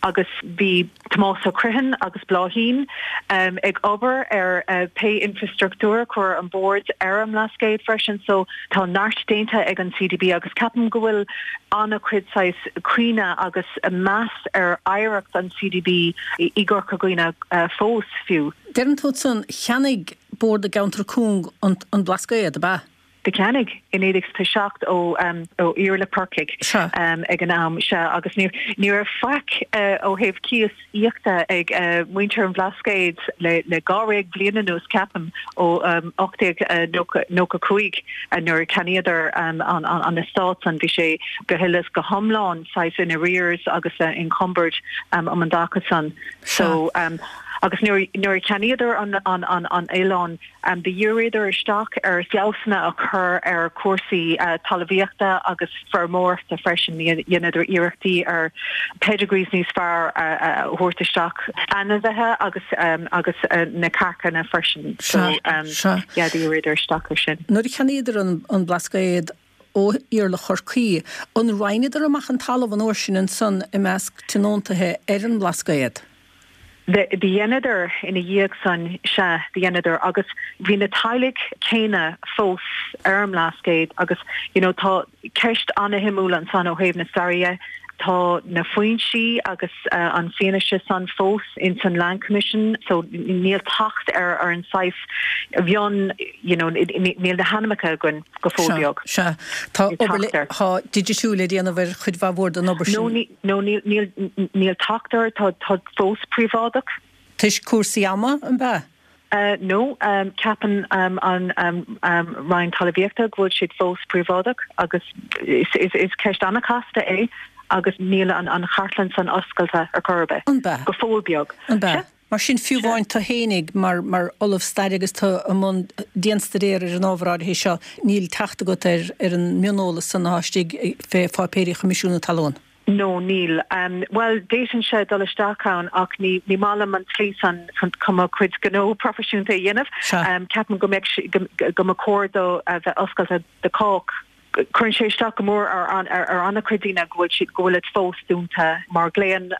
agus bhí Tomás Ó Criomhthain agus Bláithín ag obair ar pé infrastruchtúr a chuir an Bord ar an mBlascaod freisin so tá neart déanta ag an C D B agus ceapaim go bhfuil an-chuid saghas cuimhne agus meas ar oidhreacht an C D B i gCorca Dhuibhne fós fiú. Deireann tú ansan, cheannaigh Bord na gCeantar Cúng an Blascaod, ab ea? Do cheannaigh i naoi déag is a seacht ó ó Iarla Corcaigh ag an am, sea, agus ní ní raibh faic ó thaobh cíos íochta ag muintir an Bhlascaoid le le dháréag bliain anuas, ceapaim, ó ocht déag nócha cúig nuair a cheannaíodar an an eastát san, bhí sé go huile is go hiomlán saghas in arrears agus encumbered um an dtaca san. So agus nuair nuair a cheannaíodar an an an an oileán do dhíríodar isteach ar feabhsanna a chur ar chúrsaí talmhaíochta agus feirmeoireachta freisin. Dheineadar iarrachtaí ar pedigrees níos fearr a thabhairt isteach, ainmhithe agus agus na cearcanna freisin. So yeah, dhíríodar isteach ar sin. Nuair a cheannaíodar an an Blascaod ó Iarla Chorcaí, an roinneadar amach an talamh an uair sin ansan i measc tionóntaithe ar an mBlascaod? Do dheineadar ina dhiaidh san, sea, do dheineadar agus bhí na teaghlaigh céanna fós ar an mBlascaod agus you know tá ceist ana-shuimiúil ansan ó thaobh na staire dhe. Tá na foinsí agus an fianaise san fós ins an Land Commission so níl teacht ar ar an saghas mhion you know níl na hainmneacha againn go fóill beag. Sea, tá obair tá digitiú le déanamh ar chuid mhaith mhór den obair sin. No, No, níl, níl, níl teacht air, tá, tá fós príobháideach. Toisc cúrsaí ama, an b'ea? No, ceapann an Roinn Talmhaíochta go bhfuil siad fós príobháideach agus is, is, is ceist an-chasta é agus níl an, an chartlann san oscailte ar chor ar bith. An b'ea? Go fóill beag. An b'ea? Mar sin, fiú amháin tú fhéinig mar mar ollamh staire agus tú i mbun dianstaidéir ar an ábhar áirithe seo, níl teacht agat ar ar an mioneolas san atá istigh fé pháipéirí Choimisiún na Talún. No, níl. Bhuel, d'fhéadfainnse dul isteach ann ach ní ní maith liom an tslí san chun mo chuid gnó proifisiúnta a dhéanamh. Ceapaim go mbeadh go mba chóir dó a bheith oscailte do chách. Cuireann sé isteach go mór ar ar an-chuid daoine go bhfuil siad go bhfuilid fós dúnta mar glaonn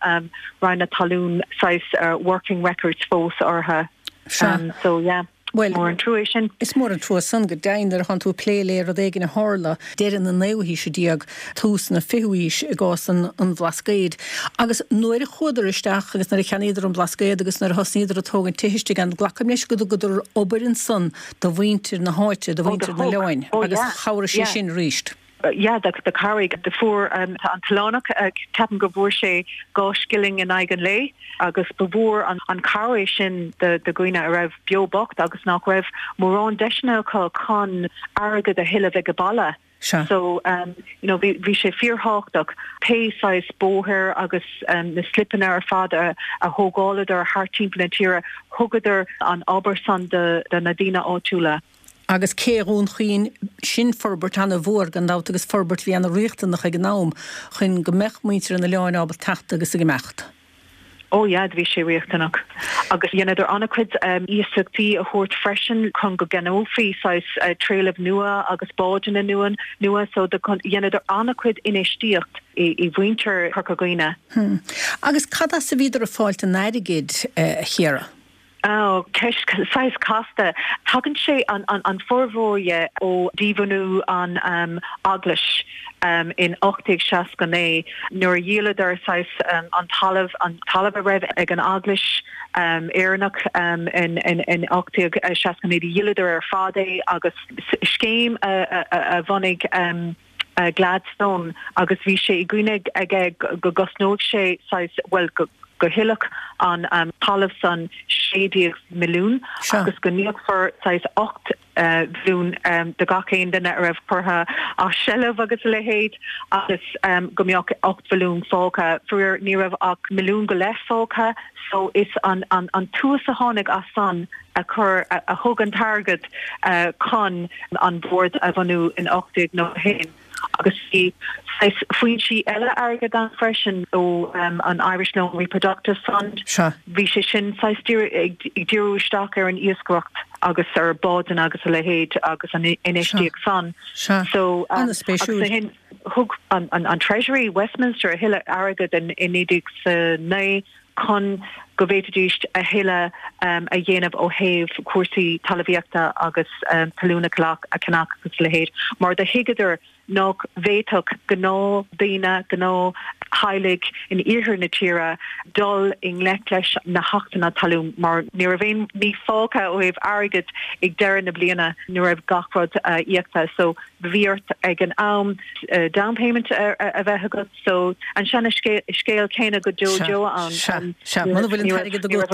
Roinn na Talún saghas working records fós orthu. Sea. So yeah. Bhuel, Mór an trua é sin. Is mór an trua san go deimhin nuair atánn tú ag plé le rud éigin a tharla deireadh na naoú haoise déag, tús na fichiú haois i gcás an an Bhlascaoid. Agus nuair a chuadar isteach agus nuair a cheannaíodar an Blascaod agus nuair a thosnaíodar ag tógaint tithe istigh ann, glacaim leis go dtugadar obair ansan do mhuintir na háite, do Ó, do mhuintir an thug. oileáin Ó, agus yeah. chabhraigh sé Yeah. sin arís. Yeah, do do chabhraigh do fuair um, an t-oileánach uh, ceapaim go bhfuair sé dhá scilling in aghaidh an lae agus ba mhór an, an cabhair sin do do dhaoine a raibh beo bocht agus nach raibh mórán deiseanna acu chun airgead a thuilleamh ag baile. Sea. So um, you know, bhí bhí sé fíorthábhachtach pé saghas bóthar agus um, na slipeanna ar fad a, a thógáladar thart timpeall na tíre thugadar an obair san de, de na daoine áitiúla. Agus cé Dhún Chaoin sin forbairt an-mhór gan dabht agus forbairt bhí an-riachtanach ag an am chun go mbeadh muintir an oileáin ábalta teacht agus ag imeacht. Ó yeah, bhí sé riachtanach. Agus dheineadar an-chuid um, iasachtaí a thabhairt freisin chun go gceannófaí saghas uh, trealamh nua agus bádanna nua nua so dheineadar an-chuid infheistíocht i, i mhuintir Chorca Dhuibhne. Hmm. Agus cad as a bhíodar ag fáilt an airgid uh, a Chiara? Oh, ceist saghas casta. Tagann sé an, an, an formhór ó díbhunú an um, eaglais um, in ocht déag seasca naoi nuair a dhíoladar saghas um, an talamh an talamh a raibh ag an eaglais um, Éireannach um, in, in, in ocht déag seasca naoi dhíoladar ar fad é agus scéim a, a, a, a bhunaigh um, uh, Gladstone agus bhí sé i gcuimhne aige go gcosnódh sé saghas well go go thuillfeadh an um, talamh san sé déag milliún agus go n-íocfar saghas ocht uh, mhilliún um, de gach aon duine a raibh curtha as seilbh agus a leithéid agus um, go mbeadh ocht mhilliún fágtha faraor ní raibh ach milliún go leith fágtha so is an, an, an tús a tháinig as san a chur a, a thug an t-airgead uh, chun an bord a bhunú in ocht déag nócha haon. Agus bhí foinsí eile airgead ann freisin ó um, an Irish Loan Reproductive Fund. Bhí sé sin ag díriú isteach ar an iascaireacht agus ar bádanna agus a leithéid agus an infheistíocht san. So um, an-spéisiúil. Thug an, an, an Treasury Westminster a thuilleadh airgead in in naoi déag naoi chun go bhféadfaidís a thuilleadh um, a dhéanamh ó thaobh cúrsaí talmhaíochta agus um, talún a cheannach agus a leithéid. Mar do thuigeadar nach bhféadfadh gnáthdhaoine gnáth-theaghlaigh in iarthar na tíre dul i ngleic leis na hachtanna talún mar ní raibh aon ní fágtha ó thaobh airgead ag deireadh na bliana ní raibh gach rud uh, íoctha so bhí ort ag an am uh, down payment a, a bheith agat so an seana scéal céanna go deo deo an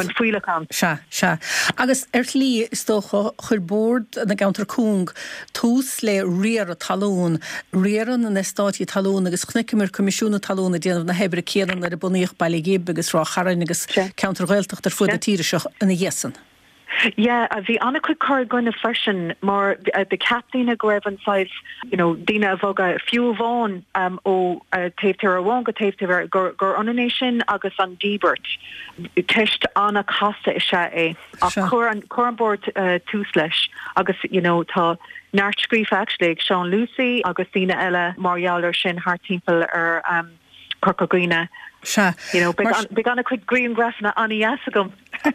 an fuíollach ann. Sea sea. Agus ar shlí is dócha chuir Bord na gCeantar Cúng tús le riaradh talún, riaradh na n-eastáití talún agus chonaiceamar Coimisiún na Talún ag déanamh na hoibre céanna nuair a bunaíodh Baile Ghib agus Ráth Chairn agus ceantair Ghaeltachta ar fud na tíre seo ina dhiaidh san. Yeah, bhí an-chuid cur i gcoinne freisin mar do cheap daoine go raibh an saghas you know, daoine a bhogadh fiú amháin um, ó uh, taobh tíre amháin go taobh tíre gur, gur ionann é sin agus an díbirt. Ceist an-chasta is ea é ach chuir an, chuir an bord uh, tús leis agus you know, tá neart scríofa actually ag Seán Lucey agus daoine eile mar gheall air sin thart timpeall ar um, Corca Dhuibhne. Sea. You know, beidh an-chuid grianghrafanna an-deas agam.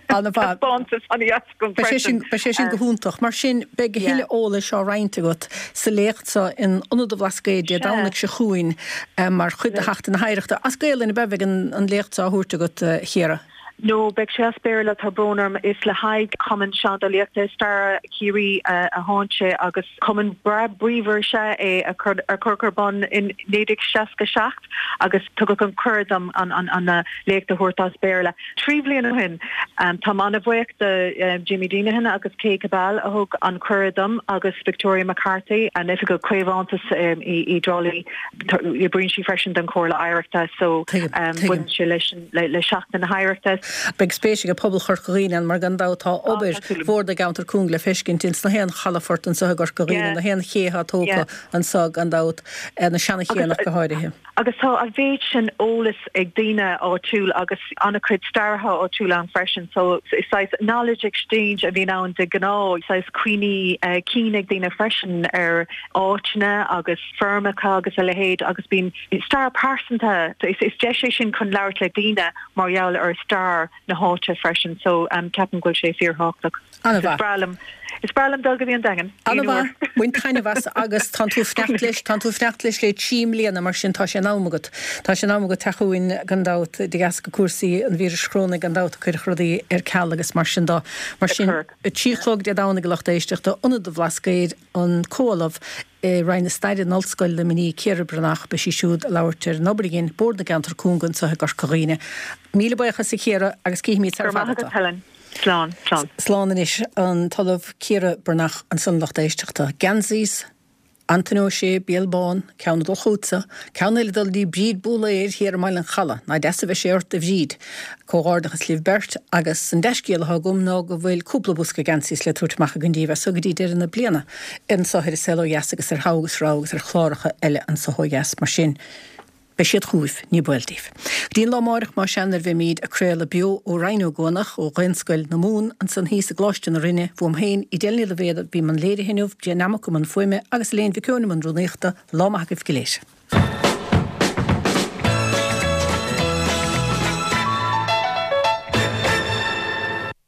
Taispeántas an-deas agam freisin. Beidh sé sin go hiontach. Mar sin beidh a thuilleadh eolais á roinnt agat sa léacht seo in Ionad an Bhlascaoid Dé Domhnaigh seo chugainn mar chuid de Sheachtain na hOidhreachta. As Gaelainn a bheidh an léacht seo á thabhairt agat, a Chiara? No, beidh sé as Béarla tá brón orm is le haghaidh Cumann Seandálaíochta Staire Chiarraí a thánn sé agus cumann breá bríomhar is ea é a cuireadh ar bun in naoi déag seasca seacht agus tugadh an cuireadh dom an an an léacht a thabhairt as Béarla. Trí bhliain ó shin. Táim an-bhuíoch de Jimmy Deenihan agus Kay Cabell a thug an cuireadh dom agus Victoria McCarthy, an Oifigeach Caomhantais i dTrá Lí. Oibríonn sí freisin don Chomhairle Oidhreachta so baineann sé leis le Seachtain na hOidhreachta. Beidh spéis ag pobal Chorca Dhuibhne ann mar gan dabht tá obair Bhord na gCeantar Cúng le feiscint ins na haon chalafort anseo i gCorca Dhuibhne, na haon ché atá tógtha anseo gan dabht, na seana-chéanna go háirithe. Agus tá an mhéid sin eolas ag daoine áitiúil agus an-chuid staraithe áitiúil ann freisin so is saghas knowledge exchange a bhíonn ann de ghnáth, saghas cuimhní cinn ag daoine freisin ar áiteanna agus feirmeacha agus a leithéid agus bíonn stair pearsanta so is deis é sin chun labhairt le daoine mar gheall ar stair na háite freisin so ceapaim go bhfuil sé fíorthábhachtach. An-mhaith. Is breá liom Is breá liom dul go dtí an Daingean. An-mhaith, bain taitneamh as agus tánn tú ag fanacht leis, tánn tú ag fanacht leis le trí mbliana mar sin tá sé in am agat. Tá sé in am agat teacht chugainn gan dabht de dheasca cúrsaí an víris chorónaigh gan dabht a cuireadh rudaí ar ceal agus mar sin de. Mar sin, a trí a chlog Dé Domhnaigh a lucht éisteachta, Ionad an Bhlascaoid, an Comh-Ollamh i Roinn na Staire in Ollscoil Luimnigh, Ciara Breathnach, beidh sí siúd ag labhairt ar an obair a dhein Bord na gCeantar Cúng anseo i gCorca Dhuibhne. Míle buíochas a Chiara agus cífimid sar Go raibh fada maith tú. agat Helen. Slán, slán. Slán anois an tOllamh Ciara Breathnach ansan lucht éisteachta. Geansaí Antaine Ó Sé, Béal Bán, ceann ag dul chugatsa, ceann eile ag dul dtí Bríd Búlaeir thiar i mBaile an Chalaidh. Nach deas a bheidh sé ort a Bhríd. Comhghairdeachas libh beirt agus an dea-scéal atá agam ná go bhfuil cúpla bosca geansaí le tabhairt amach againn díbh as so go dtí deireadh na bliana anso ar An Saol Ó Dheas agus ar Thogha agus Rogha agus ar chláracha eile anso ó dheas. Mar sin, Beidh siad chugaibh, ní baol daoibh. Go dtí an lá amáireach más ea nuair a bheimíd ag craoladh beo ó Rinn Ó gCuanach, ó Dhaonscoil na Mumhan, ansan thíos i gColáiste na Rinne, uaim féin, Edel Ní Loibhéad a bhí i mbun léirithe inniu, Brian Nammock i mbun fuaime agus Elaine Mhic Eoin i mbun rúnaíochta, lá maith agaibh go léir.